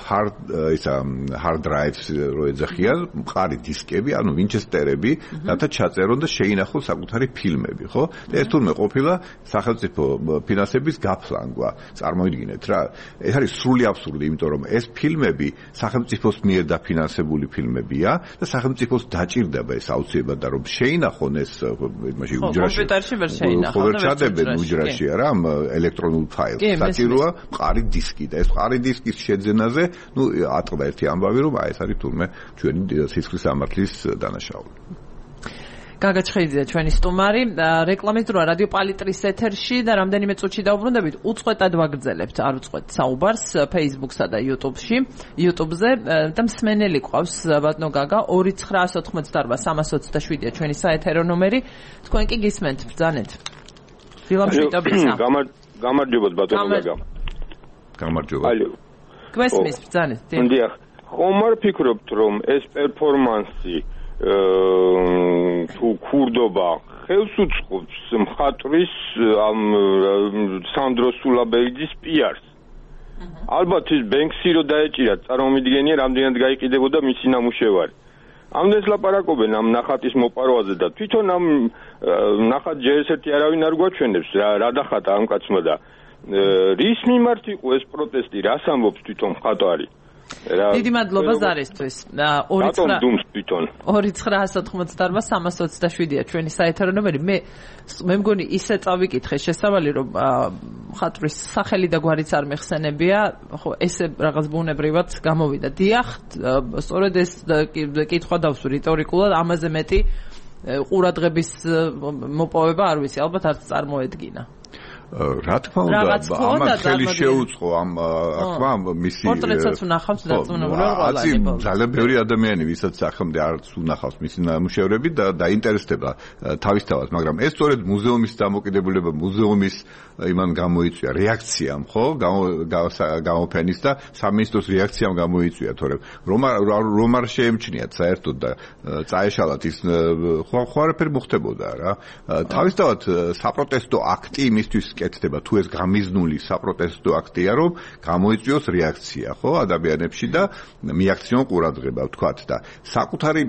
hard ისა hard drives რო ეძახიან, მყარი დისკები, ანუ ვინჩესტერები, რათა ჩაწერონ და შეინახონ საკუთარი ფილმები, ხო? და ეს თურმე ყოფილა სახელმწიფო ფინანსების გაფლანგვა. წარმოიდგინეთ რა, ეს არის სრული აბსურდი, იმიტომ რომ ეს ფილმები სახელმწიფოს მიერ დაფინანსებული ფილმებია და სახელმწიფოს დაჭირდება ეს აუცილებლად და რომ შეინახონ ეს იმაში უჯრაში. კომპიუტერში ვერ შეინახონ. ხო, ვერ ჩადებენ უჯრაში არა, ამ ელექტრონულ ფაილს. საჭიროა მყარი დისკი და ეს მყარი დისკის შეძენაზე, ну, ატყდა ერთი ამბავი, რომ აი ეს არის თურმე ჩვენი სისხლის სამართლის დანაშაული. გაგაჩხეიძია ჩვენი სტუმარი, რეკლამის დროა რადიო პალიტრის ეთერში და რამდენიმე წუთში დავუბრუნდებით, უწყვეტად ვაგრძელებთ, არ უწყვეტ საუბარს Facebook-სა და YouTube-ში, YouTube-ზე და მსმენელი ყავს ბატონო გაგა ორი ცხრაასი ოთხმოცდაარბა სამას ოცდაშვიდია ჩვენი საეთერო ნომერი, თქვენ კი გისმენთ, ბრძანეთ. დილამშვიდობიცა. გამარჯობათ ბატონო გაგა. გამარჯობა. ალო. გვესმის ბრძანეთ. დიახ. ხომ არ ფიქრობთ რომ ეს პერფორმანსი თუ ქურდობა ხელს უწყობს მხატვრის ამ სანდრო სულაბეიძის პიარს. ალბათ ის ბენქსი რო დაეჭირა წარმომიდგენია რამდენად გაიყიდებოდა მისი ნამუშევარი. ამდენს ლაპარაკობენ ამ ნახატის მოპარვაზე და თვითონ ამ ნახატ ჯერ ერთი არავინ არ გვაჩვენებს რა დახატა ამ კაცმა და რის მიმართ იყო ეს პროტესტი, რას ამბობს თვითონ მხატვარი? დიდი მადლობა ზარისთვის. ორი ცხრაას ოთხმოცდაორმა სამას ოცდაშვიდია ჩვენი საეთერო ნომერი. მე მე მგონი ისე წავიკითხე შესავალი რომ მხატვრის სახელი და გვარიც არ მეხსენებია, ხო ესე რაღაც ბუნებრივად გამოვიდა. დიახ, სწორედ ეს კითხვა დავსვი რიტორიკულად, ამაზე მეტი ყურადღების მოპოვება არ ვიცი, ალბათ არც წარმოედგინა. რა თქმა უნდა, ამათ ხელი შეუწყო ამ ახლა მისი პორტრეტსაც უნახავს დაწუნებული ყველა. ძალიან ბევრი ადამიანი, ვისაც სახემდე არც უნახავს მისი ნამუშევრები და დაინტერესდება თავისთავად, მაგრამ ეს სწორედ მუზეუმის დამოკიდებულება, მუზეუმის იმან გამოიწვია რეაქციამ, ხო? გამოფენის და სამინისტროს რეაქციამ გამოიწვია, თორემ რომ რომ არ შეემჩნიათ საერთოდ და წაეშალათ ის ხო არაფერი მოხდებოდა რა. თავისთავად საპროტესტო აქტი იმისთვის კეთდება თუ ეს გამიზნული საპროტესტო აქტია რომ გამოიწვიოს რეაქცია ხო ადამიანებში და მიაქციონ ყურადღება ვთქვათ და საკუთარი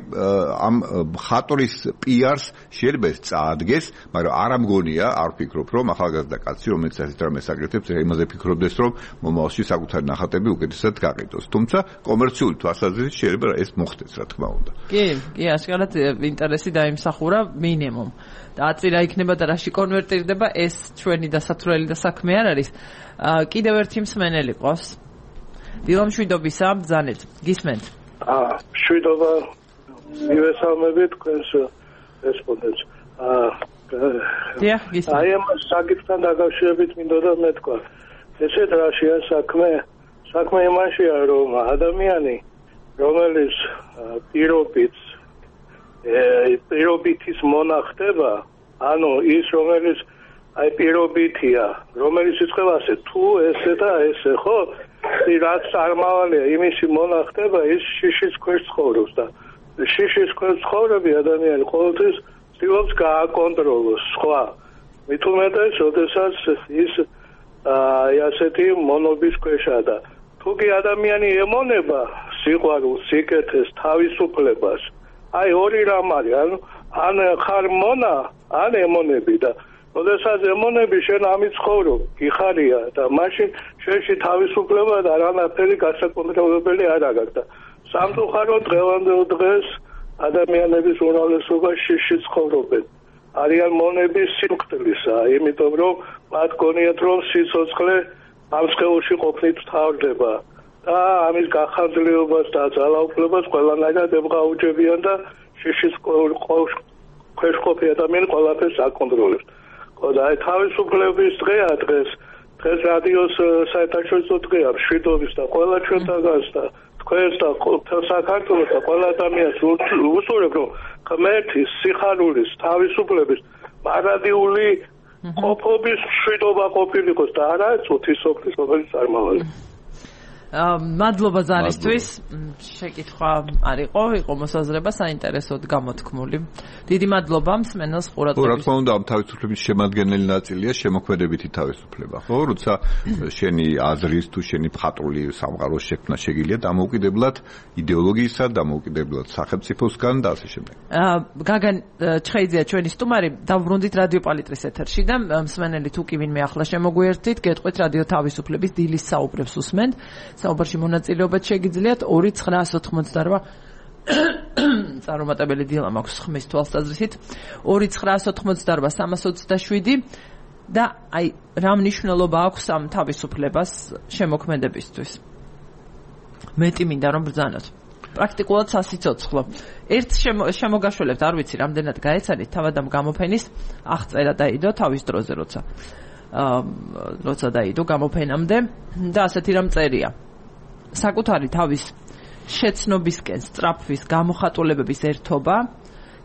ამ მხატვრის პიარს შეიძლება ეს წაადგეს, მაგრამ არ ამგონია, არ ვფიქრობ რომ ახალგაზრდა კაცი რომელიც ასეთ რამეს აკეთებს იმაზე ფიქრობდეს რომ მომავალში საკუთარი ნახატები უკეთესად გაყიდოს, თუმცა კომერციული თვალსაზრისით შეიძლება ეს მოხდეს რა თქმა უნდა. კი, კი, ასკარად ინტერესი დაიმსახურა მინიმუმ. და აწირა იქნება და რაში კონვერტირდება ეს ჩვენი დასათვლელი და საქმე არ არის. კიდევ ერთი მსმენელი ყავს. დილამშვიდობისა, ბრძანეთ. გისმენთ. აა, შვიდობა. მივესალმებით თქვენს რესპონდენტს. აა, დიახ, გისმენთ. აი ამ საკითხთან დაკავშირებით მინდოდა მეთქვა. ესეთ რაშია საქმე? საქმე იმაშია, რომ ადამიანი, რომელიც პირობით პირობითის მონახდება, ანუ ის რომელიც აი პირობითია, რომელიც იწყება ასე თუ ესე და ესე, ხო? რაც წარმავალია იმისი მონახდება, ის შიშის ქვეშ ცხოვრობს და შიშის ქვეშ ცხოვრები ადამიანი ყოველთვის ცდილობს გააკონტროლოს სხვა. მით უმეტეს, როდესაც ის აი ასეთი მონობის ქვეშა და თუ კი ადამიანი ემონება სიყვარულს, სიკეთეს, თავისუფლებას, აი ორი რამ არის, ანუ ან ხარ მონა, ან ემონები და როდესაც ემონები შენ ამით ცხოვრობ, გიხარია და მაშინ შენში თავისუფლება და არანაირი გასაკონტროლებელი არ აქვს და სამწუხაროდ დღევანდელ დღეს ადამიანების უმრავლესობა შიში ცხოვრობენ. არიან მონების სიმკვდლისა, იმიტომ რომ მათ გონიათ რომ სიცოცხლე ამ სხეულში ყოფნით თავდება. და ამის გახანძლებობას და ძალაუფლებას ყველანაირად ებღაუჯებიან და შიშის ქვეშ ყოფი ადამიანი ყველაფერს აკონტროლებს. და აი თავისუფლების დღეა დღეს, დღეს რადიოს საერთაშორისო დღეა, მშვიდობის და ყველა ჩვენთაგანს და თქვენს და საქართველოს და ყველა ადამიანს უსურვებ, რომ ღმერთის, სიხარულის, თავისუფლების მარადიული ყოფობის მშვიდობა ყოფილიყოს და არა წუთისოფლის რომელიც წარმავალია. მადლობა ზარისთვის. შეკითხვა არ იყო, იყო მოსაზრება საინტერესოდ გამოთქმული. დიდი მადლობა მსმენელს ყურადღების. რა თქმა უნდა, ამ თავისუფლების შემადგენელი ნაწილია შემოქმედებითი თავისუფლება, ხო? როცა შენი აზრის თუ შენი მხატვრული სამყაროს შექმნა შეგიძლია დამოუკიდებლად იდეოლოგიისა, დამოუკიდებლად სახელმწიფოსგან და ასე შემდეგ. გაგან ჩხეიძეა ჩვენი სტუმარი, დავბრუნდით რადიო პალიტრის ეთერში და მსმენელი თუ კი ვინმე ახლა შემოგვიერთდით, გეტყვით რადიო თავისუფლების დილის საუბრებს უსმენთ. საუბარში მონაწილეობაც შეგიძლიათ ორი ცხრაას ოთხმოცდაორმა წარუმატებელი დილა მაქვს ხმის თვალსაზრისით ორი ცხრაას ოთხმოცდაორმა სამას ოცდაშვიდი და აი რა მნიშვნელობა აქვს ამ თავისუფლებას შემოქმედებისთვის. მეტი მინდა რომ ბრძანოთ. პრაქტიკულად სასიცოცხლო. ერთ შემოგაშველებთ, არ ვიცი რამდენად გაეცანით თავად ამ გამოფენის აღწერა დაიდო თავის დროზე, როცა როცა დაიდო გამოფენამდე და ასეთი რამ წერია. საკუთარი თავის შეცნობისკენ სწრაფვის გამოხატულებების ერთობა,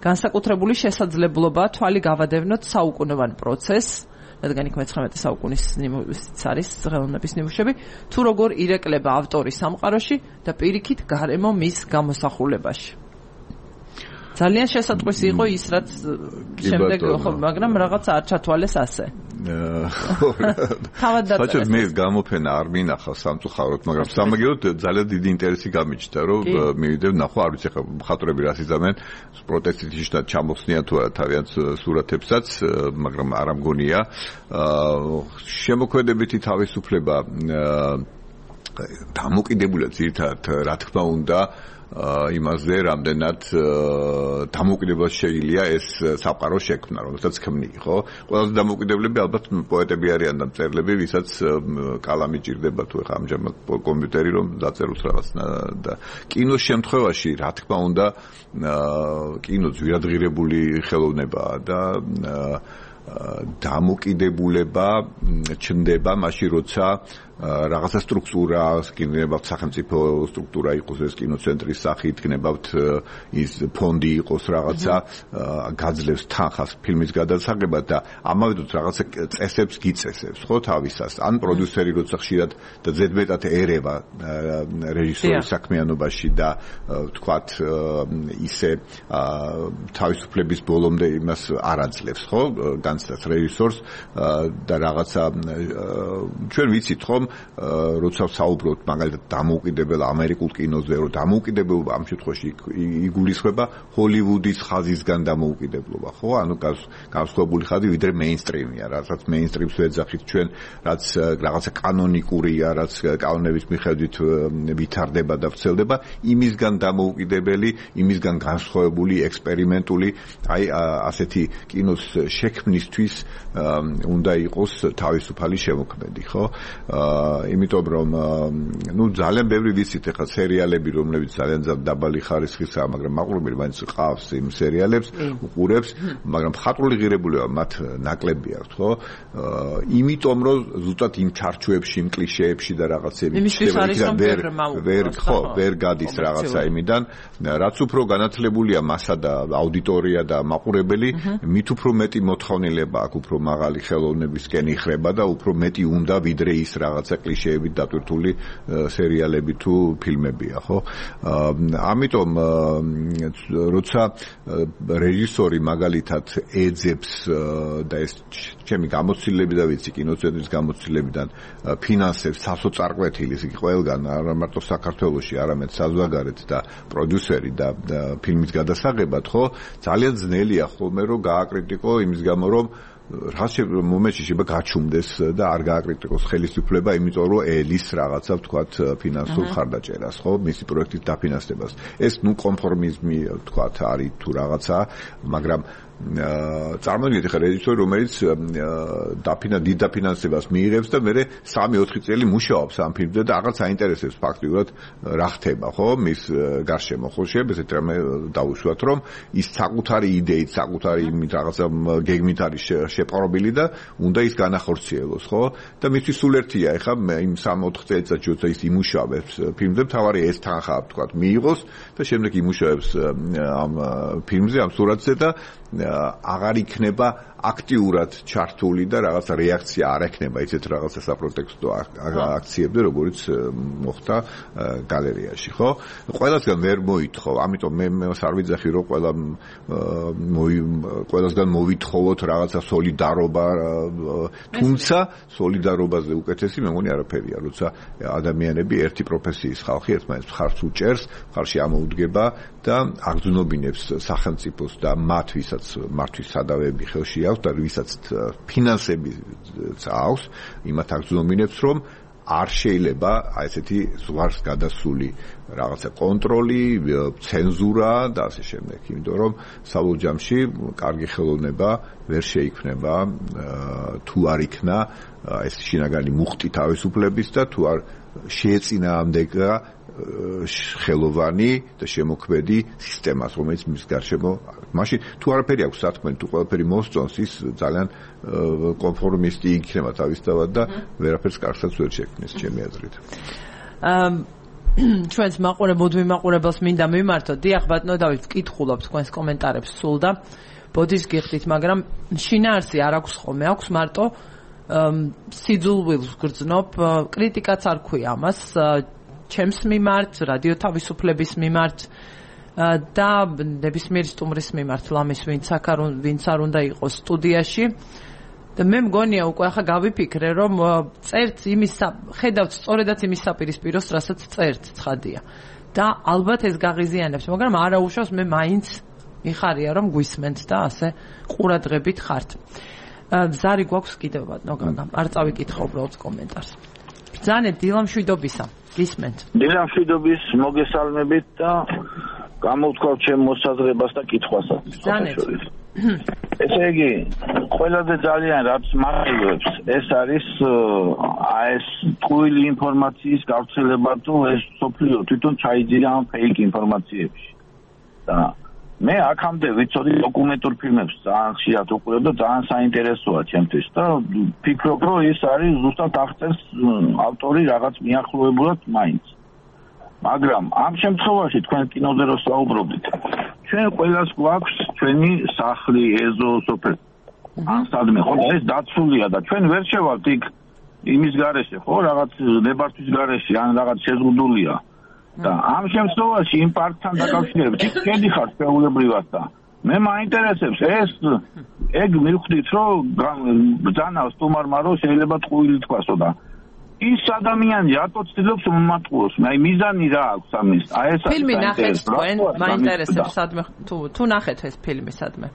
განსაკუთრებული შესაძლებლობა თვალი გავადევნოთ საუკუნოვან პროცესს, რადგან იქ მეცხრამეტე საუკუნის ნიმუშიც არის ხელოვნების ნიმუშები, თუ როგორ ირეკლება ავტორი სამყაროში და პირიქით გარემო მის გამოსახულებაში. ძალიან შესატყვისი იყო ის, რაც შემდეგ ხო, მაგრამ რაღაც არ ჩათვალეს ასე. თავად დაწერეს. საერთოდ მე გამოფენა არ მინახავს სამწუხაროდ, მაგრამ სამაგიეროდ ძალიან დიდი ინტერესი გამიჩნდა, რომ მივიდე ნახო, არ ვიცი ხა მხატვრები რას იზამენ, პროტესტით ისე ჩამოხსნიან თუ არა თავიანთ სურათებსაც, მაგრამ არ ამგონია. შემოქმედებითი თავისუფლება დამოკიდებულია ძირითადად რა თქმა უნდა იმაზე, რამდენად დამოკიდებულად შეიძლება ეს სამყარო შექმნა, რომელსაც ქმნი, ხო? ყველაზე დამოკიდებლები ალბათ პოეტები არიან და მწერლები, ვისაც კალამი ჭირდება თუ ეხა ამჟამად კომპიუტერი რომ დაწეროს რაღაც და კინოს შემთხვევაში, რა თქმა უნდა, კინო ძვირადღირებული ხელოვნებაა და დამოკიდებულება ჩნდება მაშინ, როცა რაღაცა სტრუქტურა, იქნებათ სახელმწიფო სტრუქტურა იყოს ეს კინოცენტრის სახით, იქნებათ ის ფონდი იყოს რაღაცა, გაძლევს თანხას ფილმის გადასაღებად და ამავე დროს რაღაცა წესებს გიწესებს, ხო, თავისას. ან პროდიუსერი როცა ხშირად და ზედმეტად ერევა რეჟისორის საქმიანობაში და ვთქვათ ისე თავისუფლების ბოლომდე იმას არ აძლევს, ხო, განცდას რეჟისორს და რაღაცა ჩვენ ვიცით, ხო, როცა საუბრობთ მაგალითად დამოუკიდებელ ამერიკულ კინოზე, რომ დამოუკიდებლობა ამ შემთხვევაში იგულისხმება ჰოლივუდის ხაზისგან დამოუკიდებლობა, ხო? ანუ განსხვავებული ხაზი ვიდრე მეინსტრიმია, რასაც მეინსტრიმს ვეძახით ჩვენ, რაც რაღაცა კანონიკურია, რაც კანონების მიხედვით ვითარდება და ვრცელდება, იმისგან დამოუკიდებელი, იმისგან განსხვავებული, ექსპერიმენტული, აი ასეთი კინოს შექმნისთვის უნდა იყოს თავისუფალი შემოქმედი, ხო? იმიტომ რომ ნუ ძალიან ბევრი ვიცით ეხლა სერიალები, რომლებიც ძალიან დაბალი ხარისხისაა, მაგრამ მაყურებელი მაინც ყავს იმ სერიალებს, უყურებს, მაგრამ მხატვრული ღირებულება მათ ნაკლები აქვს, ხო? იმიტომ რომ ზუსტად იმ ჩარჩოებში, იმ კლიშეებში და რაღაცები ვერ ვერ ხო, ვერ გადის რაღაცა იმიდან, რაც უფრო განათლებულია მასა და აუდიტორია და მაყურებელი, მით უფრო მეტი მოთხოვნილება აქვს, უფრო მაღალი ხელოვნებისკენ იხრება და უფრო მეტი უნდა ვიდრე ის რაღაცა კლიშეებით დატვირთული სერიალები თუ ფილმებია, ხო? ამიტომ როცა რეჟისორი მაგალითად ეძებს და ეს ჩემი გამოცდილები და ვიცი კინოცენტრის გამოცდილებიდან ფინანსებს სასოწარკვეთილის იგი ყველგან, არა მარტო საქართველოში, არამედ საზღვარგარეთ და პროდიუსერი და ფილმის გადასაღებად, ხო? ძალიან ძნელია ხოლმე რომ გააკრიტიკო იმის გამო, რომ რაც მომენტში შეიძლება გაჩუმდეს და არ გააკრიტიკოს ხელისუფლება, იმიტომ რომ ელის რაღაცა ვთქვათ ფინანსურ ხარდაჭერას, ხო, მისი პროექტის დაფინანსებას. ეს ნუ კონფორმიზმი ვთქვათ არის თუ რაღაცა, მაგრამ წარმოგიდგენთ ხა რეჟისორი, რომელიც დაფინა დიდ დაფინანსებას მიიღებს და მერე სამი ოთხი წელი მუშაობს ამ ფილმზე და რაღაც აინტერესებს ფაქტიურად რა ხდება, ხო, მის გარშემო, ხო, შეიძლება ესეთ რამე დაუშვათ, რომ ის საკუთარი იდეით, საკუთარი იმით რაღაცა გეგმით არის შეპყრობილი და უნდა ის განახორციელოს, ხო? და მისთვის სულ ერთია, ეხლა იმ სამი ოთხ წელიწადში როცა ის იმუშავებს ფილმზე, თავარი ეს თანხა ვთქვათ მიიღოს და შემდეგ იმუშავებს ამ ფილმზე, ამ სურათზე და აღარ იქნება აქტიურად ჩართული და რაღაცა რეაქცია არ ექნება ისეთ რაღაცა საპროტესტო აქციებზე, როგორც მოხდა გალერეაში, ხო? ყველასგან ვერ მოითხოვ, ამიტომ მე მას არ ვიძახი, რომ ყველა ყველასგან მოვითხოვოთ რაღაცა სოლიდარობა, თუმცა სოლიდარობაზე უკეთესი მე მგონი არაფერია, როცა ადამიანები ერთი პროფესიის ხალხი ერთმანეთს ხარს უჭერს, ხარში ამოუდგება და აგრძნობინებს სახელმწიფოს და მათ ვისაც მართვის სადავეები ხელში აქვს და ვისაც ფინანსები აქვს, იმათ აგრძნობინებს, რომ არ შეიძლება აი ესეთი ზღვარს გადასული რაღაცა კონტროლი, ცენზურა და ასე შემდეგ, იმიტომ რომ საბოლოო ჯამში კარგი ხელოვნება ვერ შეიქმნება თუ არ იქნა ეს შინაგანი მუხტი თავისუფლების და თუ არ შეეწინააღმდეგა ხელოვანი და შემოქმედი სისტემას, რომელიც მის გარშემო მაშინ თუ არაფერი აქვს სათქმელი, თუ ყველაფერი მოსწონს, ის ძალიან კონფორმისტი იქნება თავისთავად და ვერაფერს კარგსაც ვერ შექმნის, ჩემი აზრით. ჩვენს მაყურებელ მოდმი მაყურებელს მინდა მიმართოთ. დიახ, ბატონო დავით, ვკითხულობ თქვენს კომენტარებს სულ და ბოდის გიხდით, მაგრამ შინაარსი არ აქვს ხოლმე, აქვს მარტო სიძულვილს გრძნობ, კრიტიკაც არ ქვია ამას, ჩემს მიმართ, რადიო თავისუფლების მიმართ და ნებისმიერი სტუმრის მიმართ, ლამის ვინც აქ ვინც არ უნდა იყოს სტუდიაში. და მე მგონია უკვე ახლა გავიფიქრე, რომ წერც იმის ხედავთ სწორედაც იმის საპირისპიროს, რასაც წერთ, ცხადია. და ალბათ ეს გაღიზიანებს, მაგრამ არა უშავს მე მაინც მიხარია რომ გვისმენთ და ასე ყურადღებით ხართ. ზარი გვაქვს კიდევ ბატონო გაგამ, არ წავიკითხო უბრალოდ კომენტარს. ბრძანეთ დილამშვიდობისა, გისმენთ. დილამშვიდობის მოგესალმებით და გამოვთქვათ ჩემ მოსაზრებას და კითხვასაც. ბრძანეთ. ესე იგი, ყველაზე ძალიან რაც მახილებს, ეს არის ეს ტყუილი ინფორმაციის გავრცელება თუ ეს სოფლიო თვითონ ჩაიძინა ამ ფეიქ ინფორმაციებში. და მე აქამდე ვიცოდი დოკუმენტურ ფილმებს ძალიან ხშირად უყურებ და ძალიან საინტერესოა ჩემთვის და ფიქრობ, რომ ეს არის ზუსტად აღწერს ავტორი რაღაც მიახლოებულად მაინც. მაგრამ ამ შემთხვევაში თქვენ კინოზე რო საუბრობთ, ჩვენ ყველას გვაქვს ჩვენი სახლი, ეზო, სოფელი. ან სადმე ხო ეს დაცულია და ჩვენ ვერ შევალთ იქ იმის გარეშე, ხო, რაღაც ნებართვის გარეშე, ან რაღაც შეზღუდულია. და ამ შემთხვევაში იმ პარტთან დაკავშირებით იქ შედიხარ შეულებრივად და მე მაინტერესებს ეს ეგ მივხვდით რომ ბრძანა სტუმარმა რომ შეიძლება ტყუილი თქვასო და ის ადამიანი რატო ცდილობს მომატყუოს? მე აი მიზანი რა აქვს ამის? აი ეს ფილმი ნახეთ თქვენ, მაინტერესებს სადმე თუ თუ ნახეთ ეს ფილმი სადმე.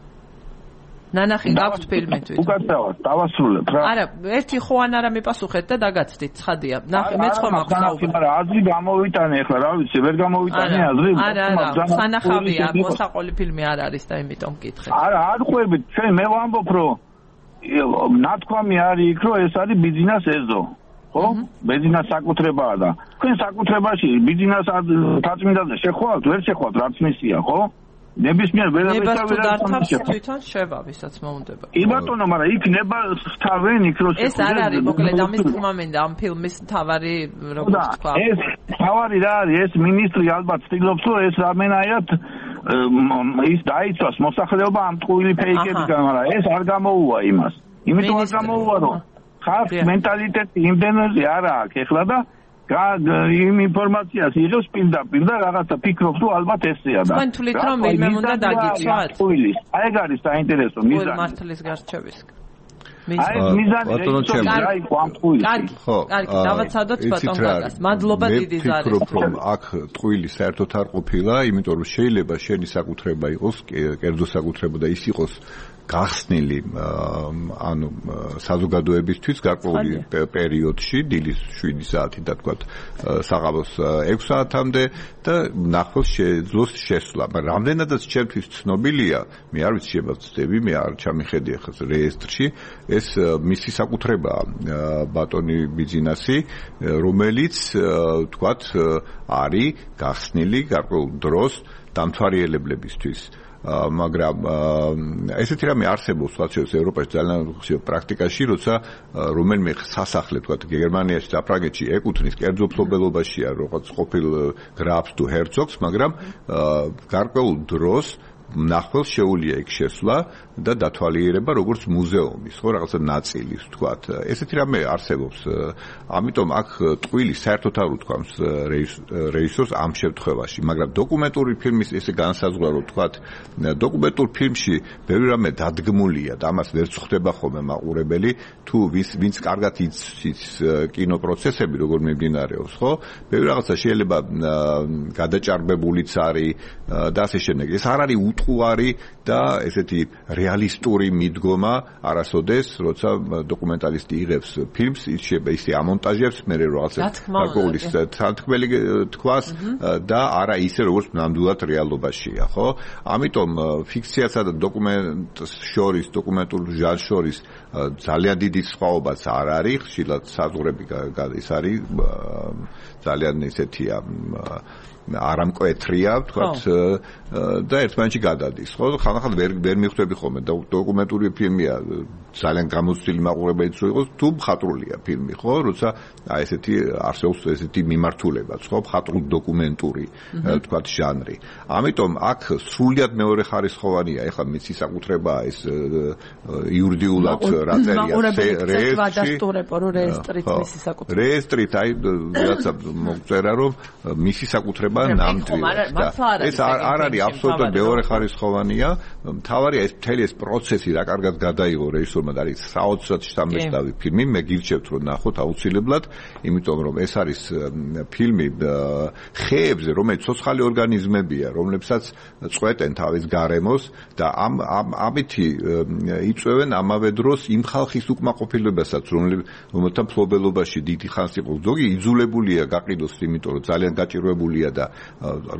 ნანახი გაქვთ ფილმი თვით. უკაცრავად, დავასრულებ რა. არა, ერთი ხო ან არა მიპასუხეთ და დაგაცდით, ცხადია. ნახე, მე სხვა მაქვს საუბარი. მაგრამ აზრი გამოვიტანე ახლა, რა ვიცი, ვერ გამოვიტანე აზრი. არა, არა, სანახავია, მოსაყოლი ფილმი არ არის და იმიტომ მკითხე. არა, არ ყვებით, ჩვენ მე ვამბობ, რომ ნათქვამი არის იქ, რომ ეს არის ბიზნეს ეზო. ხო? ბიზნეს საკუთრებაა და თქვენ საკუთრებაში ბიზნეს თაწმინდაზე შეხვალთ, ვერ შეხვალთ, რაც მისია, ხო? ნებისმიერ ვერაფერს თვითონ შევა, ვისაც მოუნდება. კი ბატონო, მაგრამ იქ ნება ხთავენ იქ რო ეს არ არის, მოკლედ ამის თქმა მინდა ამ ფილმის თავარი როგორც თქვა. ეს თავარი რა არის? ეს მინისტრი ალბათ ცდილობს, რომ ეს რამენაირად ის დაიცვას მოსახლეობა ამ ტყუილი ფეიქებიდან, მაგრამ ეს არ გამოუვა იმას. იმიტომ არ გამოუვა, რომ ხალხის მენტალიტეტი იმდენზე არა აქვს ეხლა და იმ ინფორმაციას იღებს პირდაპირ და რაღაცა ფიქრობს, რომ ალბათ ესეა და თქვენ თვლით რომ ვინმე უნდა დაგიცვათ? აი ეგ არის საინტერესო მიზანი. მართლის გარჩევის. აი მიზანი რა იყო ამ ტყუილში? კარგი, კარგი, დავაცადოთ ბატონ გაგას. მადლობა დიდი ზარი. მე ვფიქრობ, რომ აქ ტყუილი საერთოდ არ ყოფილა, იმიტომ რომ შეიძლება შენი საკუთრება იყოს, კერძო საკუთრება და ის იყოს გახსნილი ანუ საზოგადოებისთვის გარკვეული პერიოდში დილის შვიდი საათი და თქვა საღამოს ექვსი საათამდე და ნახოს შეძლოს შესვლა. მაგრამ რამდენადაც ჩემთვის ცნობილია, მე არ ვიცი შეიძლება ვწდები, მე არ ჩამიხედი ახლა რეესტრში, ეს მისი საკუთრებაა ბატონი ბიზნესი, რომელიც თქვა არის გახსნილი გარკვეულ დროს დამთვალიერებლებისთვის. მაგრამ ესეთი რამე არსებობს სხვა შეიძლება ევროპაში ძალიან ხშირ პრაქტიკაში, როცა რომელიმე სასახლე თქვა გერმანიაში და პრაგეთში ეკუთვნის კერძო მფლობელობაშია როგორც ყოფილ გრაფს თუ ჰერცოგს, მაგრამ გარკვეულ დროს ნახველს შეუძლია იქ შესვლა და დათვალიერება როგორც მუზეუმის, ხო, რაღაცა ნაწილის, თქვათ. ესეთი რამე არსებობს. ამიტომ აქ ტყუილი საერთოდ არ უთქვამს რეჟისორს ამ შემთხვევაში, მაგრამ დოკუმენტური ფილმის ესე განსაზღვრა, რომ თქვათ, დოკუმენტურ ფილმში ბევრი რამე დადგმულია და ამას ვერ ხვდება ხოლმე მაყურებელი, თუ ვის ვინც კარგად იცის კინოპროცესები, როგორ მიმდინარეობს, ხო? ბევრი რაღაცა შეიძლება გადაჭარბებულიც არის და ასე შემდეგ. ეს არ არის უტყუარი და ესეთი რეალისტური მიდგომა არასოდეს, როცა დოკუმენტალისტი იღებს ფილმს, ის შეიძლება ისე ამონტაჟებს, მე რაღაცა გარკვეული თანთქმელი თქვას და არა ისე, როგორც ნამდვილად რეალობაშია, ხო? ამიტომ ფიქციასა და დოკუმენტს შორის, დოკუმენტურ ჟანრს შორის ძალიან დიდი სხვაობაც არ არის, ხშირად საზღვრები ის არის ძალიან ესეთია არამკვეთრია, თქვათ და ერთმანეთში გადადის, ხო? ხანახან ვერ ვერ მიხვდები ხოლმე და დოკუმენტური ფილმია ძალიან გამოცდილი მაყურებელიც რო იყოს, თუ მხატვრულია ფილმი, ხო? როცა აი ესეთი არსებობს ესეთი მიმართულებაც, ხო? მხატვრული დოკუმენტური, თქვათ ჟანრი. ამიტომ აქ სრულიად მეორე ხარისხოვანია, ეხლა მის საკუთრებაა ეს იურიდიულად რა წერია რეესტრით, რეესტრით აი რაცა მოგწერა რომ მისი საკუთრება ნამდვილად. ეს არ არის აბსოლუტურად მეორე ხარისხოვანია. მთავარია ეს მთელი ეს პროცესი რა კარგად გადაიღო რეჟისორმა და არის საოცრად შთამბეჭდავი ფილმი. მე გირჩევთ რომ ნახოთ აუცილებლად, იმიტომ რომ ეს არის ფილმი ხეებზე, რომელიც ცოცხალი ორგანიზმებია, რომლებსაც წვეტენ თავის გარემოს და ამ ამითი იწვევენ ამავე დროს იმ ხალხის უკმაყოფილებასაც, რომელთა მფლობელობაში დიდი ხანს იყო. ზოგი იძულებულია გაყიდოს, იმიტომ რომ ძალიან გაჭირვებულია და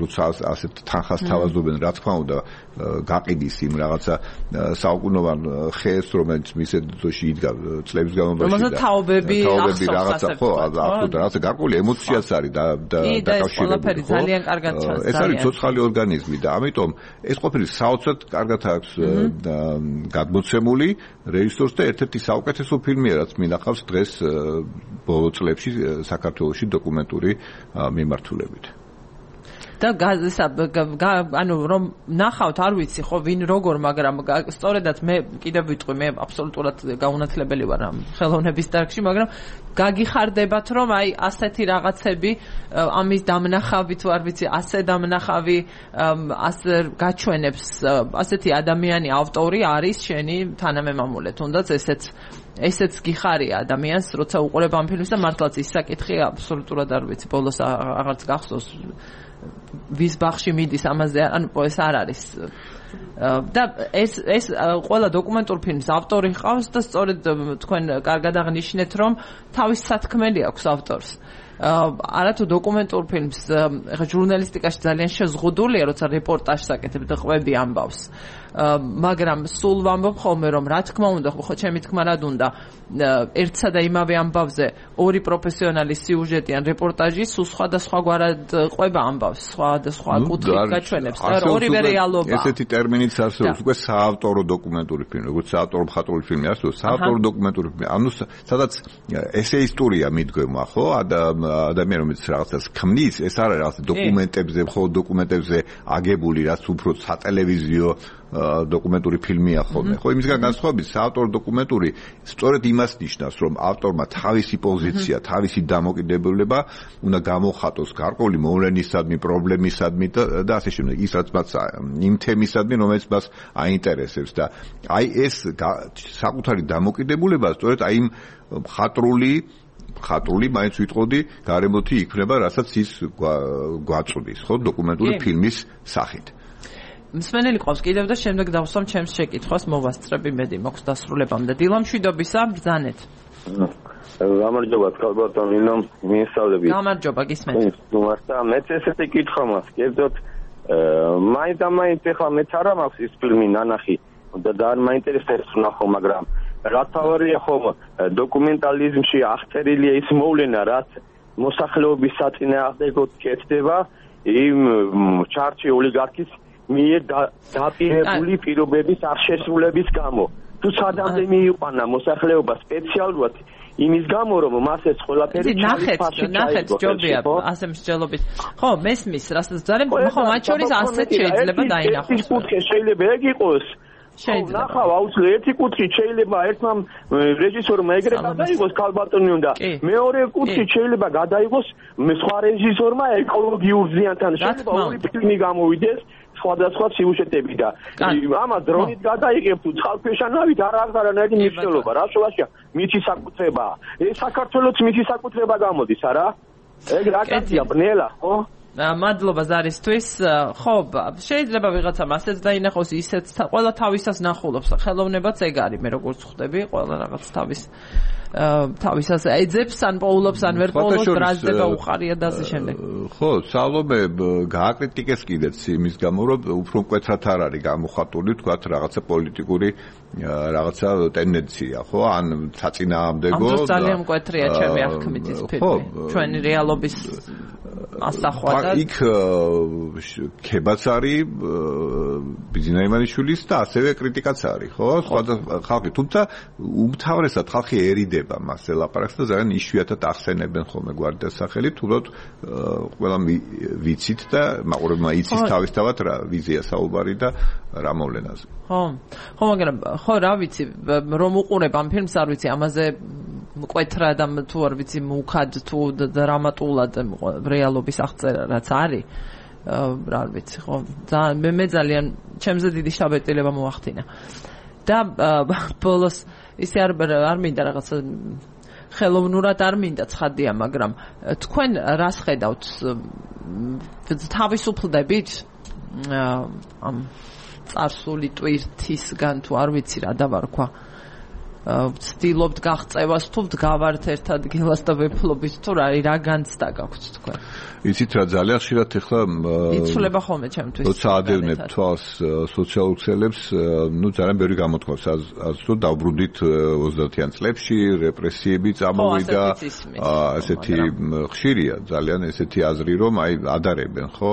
როცა ასეთ თანხას თავაზობენ, რა თქმა უნდა, გაყიდის იმ რაღაცა საუკუნოვან ხეს, რომელიც მის ედოში იდგა წლების განმავლობაში და თაობები რაღაცა ხო, აბსოლუტურად რაღაცა გარკვეული ემოციაც არის და დაკავშირებული. ძალიან კარგად ჩანს. ეს არის ცოცხალი ორგანიზმი და ამიტომ ეს ყოფილი საოცრად კარგად აქვს გადმოცემული რეჟისორს და ერთ-ერთი საუკეთესო ფილმია, რაც მინახავს დღეს ბოლო წლებში საქართველოში დოკუმენტური მიმართულებით. და გაზისა ანუ რომ ნახავთ არ ვიცი ხო ვინ როგორ, მაგრამ სწორედაც მე კიდევ ვიტყვი, მე აბსოლუტურად გაუნათლებელი ვარ ამ ხელოვნების დარგში, მაგრამ გაგიხარდებათ რომ აი ასეთი რაღაცები ამის დამნახავით ვარ ვიცი, ასე დამნახავი ასე გაჩვენებს ასეთი ადამიანი ავტორი არის შენი თანამემამულე, თუნდაც ესეც ესეც გიხარია ადამიანს, როცა უყურებ ამ ფილმს და მართლაც ის საკითხი აბსოლუტურად არ ვიცი, ბოლოს აღარც გახსოვს ვის ბაღში მიდის ამაზე, ანუ ეს არ არის და ეს ეს ყველა დოკუმენტურ ფილმის ავტორი ყავს და სწორედ თქვენ კარგად აღნიშნეთ რომ თავის სათქმელი აქვს ავტორს. არათუ დოკუმენტურ ფილმს ეხლა ჟურნალისტიკაში ძალიან შეზღუდულია, როცა რეპორტაჟს აკეთებ და ყვები ამბავს. მაგრამ სულ ვამბობ ხოლმე რომ რა თქმა უნდა, ხო ჩემი თქმა რად უნდა, ერთსა და იმავე ამბავზე ორი პროფესიონალი სიუჟეტი ან რეპორტაჟი სულ სხვადასხვაგვარად ყვება ამბავს, სხვადასხვა კუთხით გაჩვენებს და ორივე რეალობაა. ესეთი ტერმინიც არსებობს უკვე საავტორო დოკუმენტური ფილმი, როგორც საავტორო მხატვრული ფილმი არსებობს, საავტორო დოკუმენტური ფილმი. ანუ სადაც ესეისტურია მიდგომა, ხო? ადამიანი რომელიც რაღაცას ქმნის, ეს არ არის რაღაც დოკუმენტებზე, მხოლოდ დოკუმენტებზე აგებული, რაც უფრო სატელევიზიო დოკუმენტური ფილმია ხოლმე. ხო, იმისგან განსხვავებით, საავტორო დოკუმენტური სწორედ იმას ნიშნავს, რომ ავტორმა თავისი პოზიცია, თავისი დამოკიდებულება უნდა გამოხატოს გარკვეული მოვლენისადმი, პრობლემისადმი და ასე შემდეგ, ის რაც მას იმ თემისადმი, რომელიც მას აინტერესებს და აი ეს საკუთარი დამოკიდებულება სწორედ აი იმ მხატვრული ხატრული მაინც ვიტყოდი გარემოთი იქნება, რასაც ის გვაწვდის, ხო, დოკუმენტური ფილმის სახით. მსმენელი ყავს კიდევ და შემდეგ დავსვამ ჩემს შეკითხვას მოვასწრებ იმედი მაქვს დასრულებამდე. დილამშვიდობისა, ბრძანეთ. გამარჯობა, კალბატონი, ნომ მიესალმები. გამარჯობა, გისმენთ. ნუმარსა, მეც ესეთი კითხვა მაქვს, კერძოდ მაინც ამაინც ეხლა მეც არ მაქვს ის ფილმი ნანახი და არ მაინტერესებს ნახო, მაგრამ რა თავარია ხომ დოკუმენტალიზმში აღწერილია ის მოვლენა, რაც მოსახლეობის საწინააღმდეგოდ კეთდება იმ ჩარჩი ოლიგარქის მიერ დაპირებული პირობების აღშესრულების გამო. თუ სადამდე მიიყვანა მოსახლეობა სპეციალურად იმის გამო, რომ მას ეს ყველაფერი ნახეთ, ნახეთ, ჯობია, ასე მსჯელობით. ხო, მესმის, რასაც ძალიან, ხო, მათ შორის ასეთ შეიძლება დაინახოს. ეს კუთხე შეიძლება ეგ იყოს. შეიძლება. ნახავ, აუცილებლად ერთი კუთხით შეიძლება ერთმა რეჟისორმა ეგრე გადაიღოს ქალბატონი უნდა. მეორე კუთხით შეიძლება გადაიღოს სხვა რეჟისორმა ეკოლოგიურ ზიანთან. შეიძლება ორი ფილმი გამოვიდეს. სხვადასხვა სიუჟეტები და ამას დრონით გადაიღებ თუ წყალქვეშანავით არ აქვს არანაირი მნიშვნელობა. რა შევაშია? მითი საკუთრებაა. ეს საქართველოს მითი საკუთრება გამოდის, არა? ეგ რა კაცია, ბნელა, ხო? მადლობა ზარისთვის. ხო, შეიძლება ვიღაცამ ასეც დაინახოს, ისეც ყველა თავისას ნახულობს. ხელოვნებაც ეგ არის, მე როგორც ხვდები, ყველა რაღაც თავის თავისას ეძებს, ან პოულობს, ან ვერ პოულობს, ბრაზდება უხარია და ასე შემდეგ. ხო, სალომე გააკრიტიკეს კიდეც იმის გამო, რომ უფრო მკვეთრად არ არის გამოხატული, თქვათ, რაღაცა პოლიტიკური რაღაცა ტენდენცია, ხო? ან საწინააღმდეგო. ამ დროს ძალიან მკვეთრია ჩემი აღქმით ის ფილმი. ჩვენი რეალობის ასახვა და იქ ქებაც არის ბიძინა იმანიშვილის და ასევე კრიტიკაც არის, ხო? სხვადასხვა ხალხი, თუმცა უმთავრესად ხალხი ერიდება მასზე ლაპარაკს და ძალიან იშვიათად ახსენებენ ხოლმე გვარდიას სახელით, თუმცა ყველა ვიცით და მაყურებელმა იცის თავისთავად რა ვიზია საუბარი და რა მოვლენაზე. ხო, ხო, მაგრამ ხო რა ვიცი, რომ უყურებ ამ ფილმს არ ვიცი, ამაზე მკვეთრა და თუ არ ვიცი მუქად თუ დრამატულად რეალობის აღწერა რაც არის, რა ვიცი, ხო, ძალიან მე მე ძალიან ჩემზე დიდი შთაბეჭდილება მოახდინა. და ბოლოს ისე არ არ მინდა რაღაცა ხელოვნურად არ მინდა ცხადია, მაგრამ თქვენ რას ხედავთ? თავისუფლდებით ამ წარსული ტვირთისგან თუ არ ვიცი რა დავარქვა, ვცდილობთ გაღწევას თუ ვდგავართ ერთ ადგილას და ვეფლობით თუ რა რა განცდა გაქვთ თქვენ? იცით რა, ძალიან ხშირად ეხლა იცვლება ხოლმე ჩემთვის. როცა ადევნებ თვალს სოციალურ ქსელებს, ნუ ძალიან ბევრი გამოთქვას, რომ დავბრუნდით ოცდაათიან წლებში, რეპრესიები წამოვიდა, ასეთი ხშირია, ძალიან ესეთი აზრი, რომ აი ადარებენ, ხო,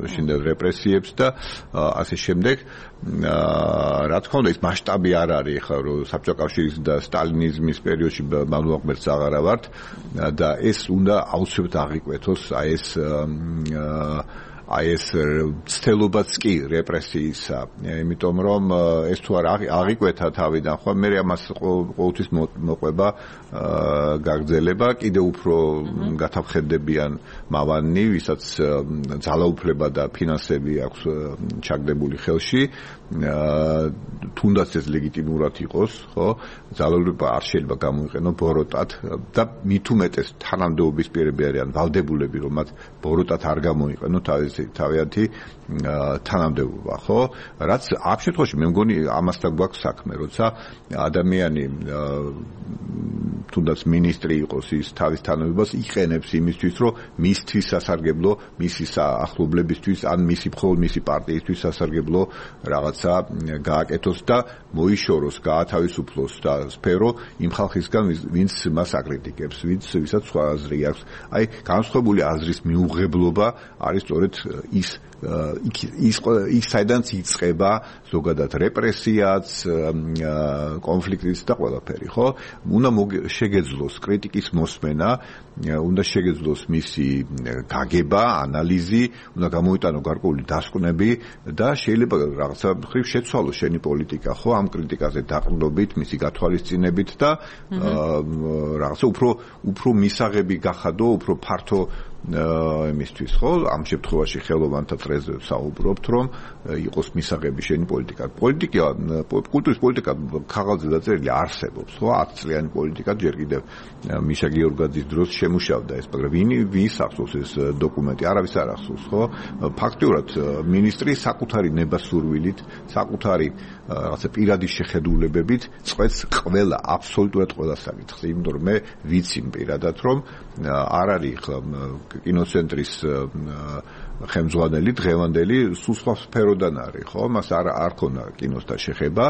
შინდელ რეპრესიებს და ასე შემდეგ. რა თქმა უნდა, ის მასშტაბი არ არის ხა, რომ საბჭოთა კავშირის და სტალინიზმის პერიოდში მამლუყმერს აღარა ვართ და ეს უნდა აუცილებლად აღიკვეთოს, აი ეს აი ეს ცდელობაც კი რეპრესიისა, იმიტომ რომ ეს თუ არ აღიკვეთა თავიდან, ხო, მე ამას ყოველთვის მოყვება გაგრძელება, კიდე უფრო გათაფხებდებიან მავანი, ვისაც ძალაუფლება და ფინანსები აქვს ჩაგდებული ხელში, თუნდაც ეს ლეგიტიმურად იყოს, ხო, ძალაუფლება არ შეიძლება გამოიყენო ბოროტად და მით უმეტეს თანამდებობის პირები არიან ვალდებულები, რომ მათ ბოროტად არ გამოიყენო თავიანთი თანამდებობა, ხო? რაც ამ შემთხვევაში მე მგონი ამასთან გვაქვს საქმე, როცა ადამიანი თუნდაც მინისტრი იყოს, ის თავის თანამდებობას იყენებს იმისთვის, რომ მისთვის სასარგებლო, მისი ახლობლებისთვის ან მისი მხოლოდ მისი პარტიისთვის სასარგებლო რაღაცა გააკეთოს და მოიშოროს, გაათავისუფლოს და სფერო იმ ხალხისგან, ვინც მას აკრიტიკებს, ვინც ვისაც სხვა აზრი აქვს. აი, განსხვავებული აზრის მიუღებლობა არის სწორედ ის ის ის საიდანაც იწყება ზოგადად რეპრესიაც, კონფლიქტიც და ყველაფერი, ხო? უნდა შეგეძლოს კრიტიკის მოსმენა, უნდა შეგეძლოს მისი გაგება, ანალიზი, უნდა გამოიტანო გარკვეული დასკვნები და შეიძლება რაღაცა მხრივ შეცვალოს შენი პოლიტიკა, ხო, ამ კრიტიკაზე დაყრდნობით, მისი გათვალისწინებით და რაღაცა უფრო უფრო მისაღები გახადო, უფრო ფართო იმისთვის, ხო, ამ შემთხვევაში ხელოვანთა წრეზე საუბრობთ, რომ იყოს მისაღები შენი პოლიტიკა. პოლიტიკა, კულტურის პოლიტიკა ქაღალდზე დაწერილი არსებობს, ხო, ათ წლიანი პოლიტიკა ჯერ კიდევ მიშა გიორგაძის დროს შემუშავდა ეს, მაგრამ ვინ ვის ახსოვს ეს დოკუმენტი? არავის არ ახსოვს, ხო? ფაქტიურად მინისტრი საკუთარი ნებასურვილით, საკუთარი რაღაცა პირადი შეხედულებებით წყვეტს ყველა, აბსოლუტურად ყველა საკითხს, იმიტომ რომ მე ვიცი პირადად, რომ არ არის ხა კინოცენტრის ხელმძღვანელი დღევანდელი სულ სხვა სფეროდან არის, ხო? მას არ არ ქონა კინოსთან შეხება.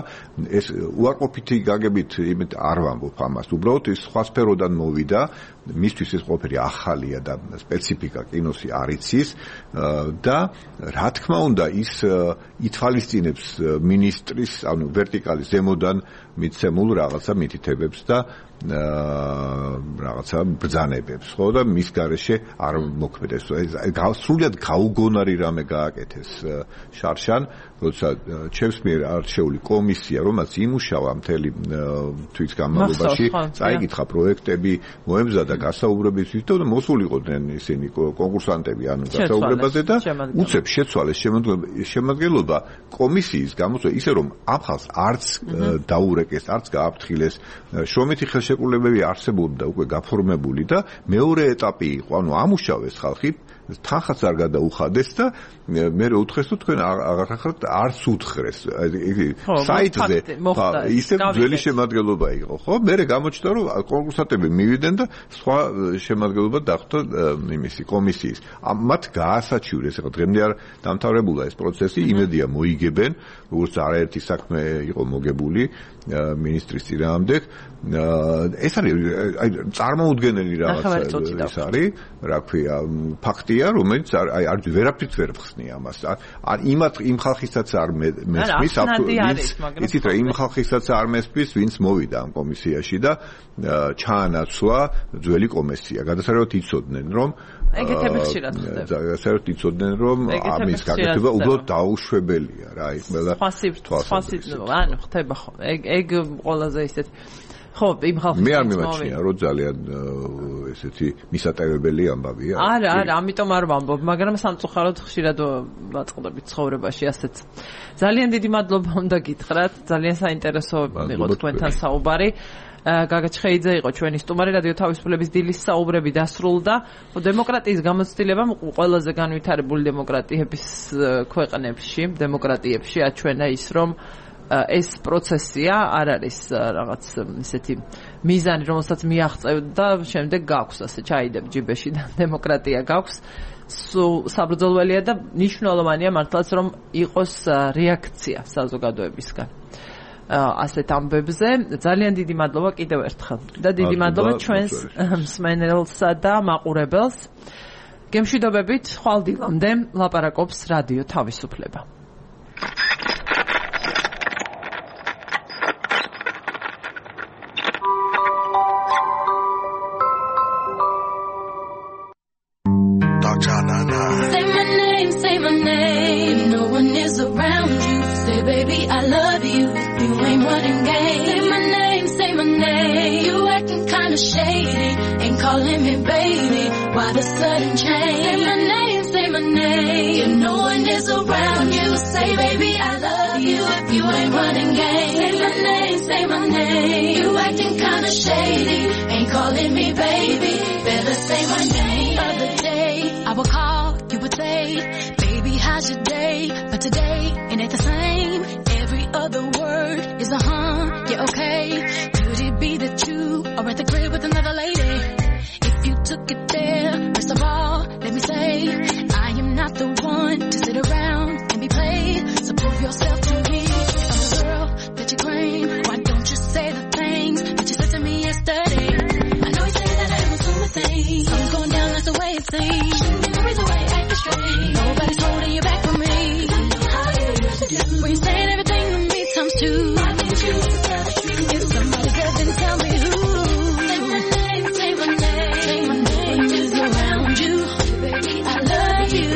ეს უარყოფითი გაგებით იმით არ ვამბობ ამას. უბრალოდ ის სხვა სფეროდან მოვიდა, მისთვის ეს ყველაფერი ახალია და სპეციფიკა კინოსი არ იცის და რა თქმა უნდა ის ითვალისწინებს მინისტრის, ანუ ვერტიკალის ზემოდან მიცემულ რაღაცა მითითებებს და რაღაცა ბრძანებებს, ხო, და მის გარეშე არ მოქმედებს. სრულიად გაუგონარი რამე გააკეთეს შარშან, როცა ჩემს მიერ არჩეული კომისია, რომელიც იმუშავა მთელი თვის განმავლობაში, წაიკითხა პროექტები, მოემზადა გასაუბრებისთვის და მოსულიყვნენ ისინი კონკურსანტები, ანუ გასაუბრებაზე და უცებ შეცვალეს შემადგენლობა კომისიის გამოსვლა ისე რომ ამ ხალხს არც დაურეკეს, არც გააფრთხილეს, შრომითი ხელშეკრულებები არსებობდა უკვე გაფორმებული და მეორე ეტაპი იყო, ანუ ამუშავეს ხალხი, თანხაც არ გადაუხადეს და მე უთხრეს თუ თქვენ აღარ არც უთხრეს საიტზე ისე ძველი შემადგენლობა იყო, ხო? მე გამოჩნდა რომ კონკურსანტები მივიდნენ და სხვა შემადგენლობა დახვდა იმისი კომისიის. მათ გაასაჩივრეს, ახლა დღემდე არ დამთავრებულა ეს პროცესი, იმედია მოიგებენ, როგორც არაერთი საქმე იყო მოგებული მინისტრის წინააღმდეგ. ეს არის აი წარმოუდგენელი რაღაცა ის არის, რა ქვია, ფაქტი ხალხია, რომელიც აი არ ვერაფერს ვერ ხსნი ამას. არ იმათ იმ ხალხისაც არ მესმის, იცით რა, იმ ხალხისაც არ მესმის, ვინც მოვიდა ამ კომისიაში და ჩაანაცვლა ძველი კომისია. გადასარევად იცოდნენ, რომ ეგეთები ხშირად ხდება. გადასარევად იცოდნენ, რომ ამის გაკეთება უბრალოდ დაუშვებელია რა, აი ყველა თვალსაჩინო, ანუ ხდება ხო. ეგ ეგ ყველაზე ისეთ ხო, იმ ხალხის მე არ მიმაჩნია, რომ ძალიან ესეთი მისატევებელი ამბავია. არა, არა, ამიტომ არ ვამბობ, მაგრამ სამწუხაროდ ხშირად ვაწყდებით ცხოვრებაში ასეც. ძალიან დიდი მადლობა უნდა გითხრათ, ძალიან საინტერესო იყო თქვენთან საუბარი. გაგა ჩხეიძე იყო ჩვენი სტუმარი, რადიო თავისუფლების დილის საუბრები დასრულდა. დემოკრატიის გამოცდილებამ ყველაზე განვითარებული დემოკრატიების ქვეყნებში, დემოკრატიებში აჩვენა ის, რომ ეს პროცესია არ არის რაღაც ისეთი მიზანი, რომელსაც მიაღწევთ და შემდეგ გაქვს ასე ჩაიდებ ჯიბეში და დემოკრატია გაქვს. საბრძოლველია და მნიშვნელოვანია მართლაც რომ იყოს რეაქცია საზოგადოებისგან. ასეთ ამბებზე ძალიან დიდი მადლობა კიდევ ერთხელ და დიდი მადლობა ჩვენს მსმენელსა და მაყურებელს. გემშვიდობებით, ხვალ დილამდე ლაპარაკობს რადიო თავისუფლება. Say my name, say my name. No one is around you. Say, baby, I love you. You ain't running game. Say my name, say my name. You acting kinda shady. Ain't calling me baby. Why the sudden change? Say my name, say my name. If no one is around you. Say, baby, I love you. If you ain't running game. Say my name, say my name. You acting kinda shady. Ain't calling me baby. Better say my name. Other day, I would call, you would say, baby, how's your day? But today, it ain't the same. Every other word is a huh, yeah, okay. Could it be that you are at the crib with another lady? If you took it there, first of all, let me say, I am not the one to sit around and be played. So prove yourself to me. If I'm the girl that you claim, why don't you say the things that you said to me yesterday? I know you say that I was doing things. I'm going down, that's the way it seems. The way I act straight. Nobody's holding you back from me. How you used to do. When you saying everything to me times two. Why didn't you tell the truth? If somebody said, then tell me who. Say my name, say my name. Say my name is around you. Baby, I love you.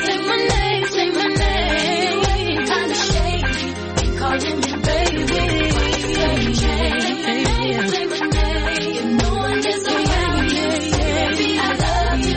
Say my name, say my name. Kinda shady. Ain't calling me baby. Say my name, say my name. If no one is around you. Baby, I love you.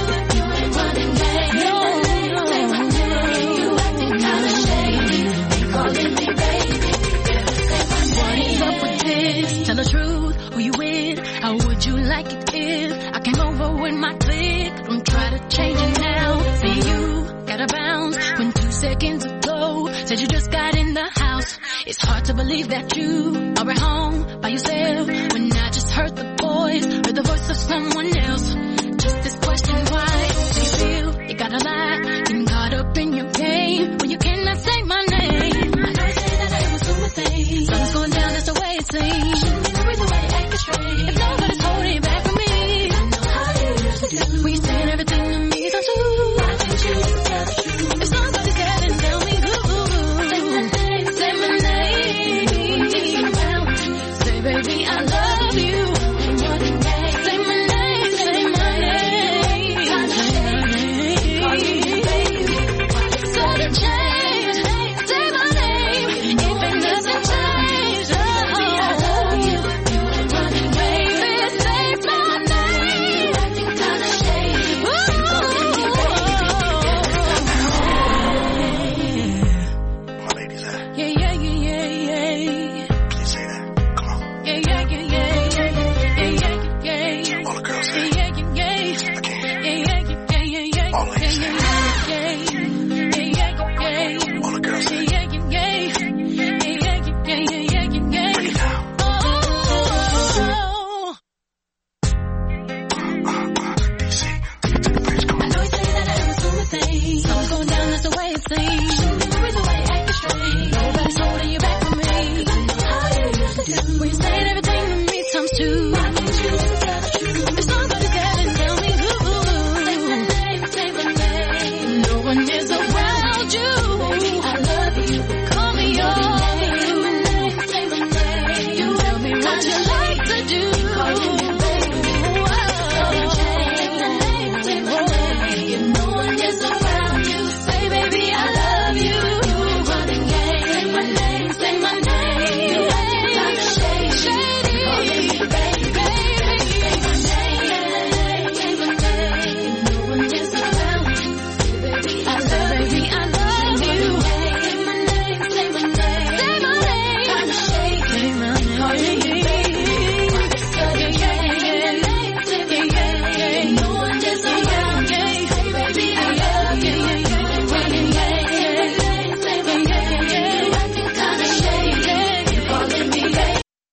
Tell the truth, who you with? How would you like it if I came over with my clique? Don't try to change it now. See you gotta bounce when two seconds ago said you just got in the house. It's hard to believe that you are at home by yourself when I just heard the voice, heard the voice of someone else. Just this question, why do you feel you gotta lie? Getting caught up in your game when you cannot say my name. I know you say that I was doing things. Something's going down, that's the way it seems. The way I act straight. If nobody's holding you back from me, I know how you used to do. When you saying everything to me, so too. Why didn't you tell the truth? If somebody's scared, then tell me who. Say my name, say my name. Say, baby, I love you. Say my name, say my name. Sudden change. Say my name. If it doesn't change, oh. Nobody's holding you back from me. I know how you used to do. When you say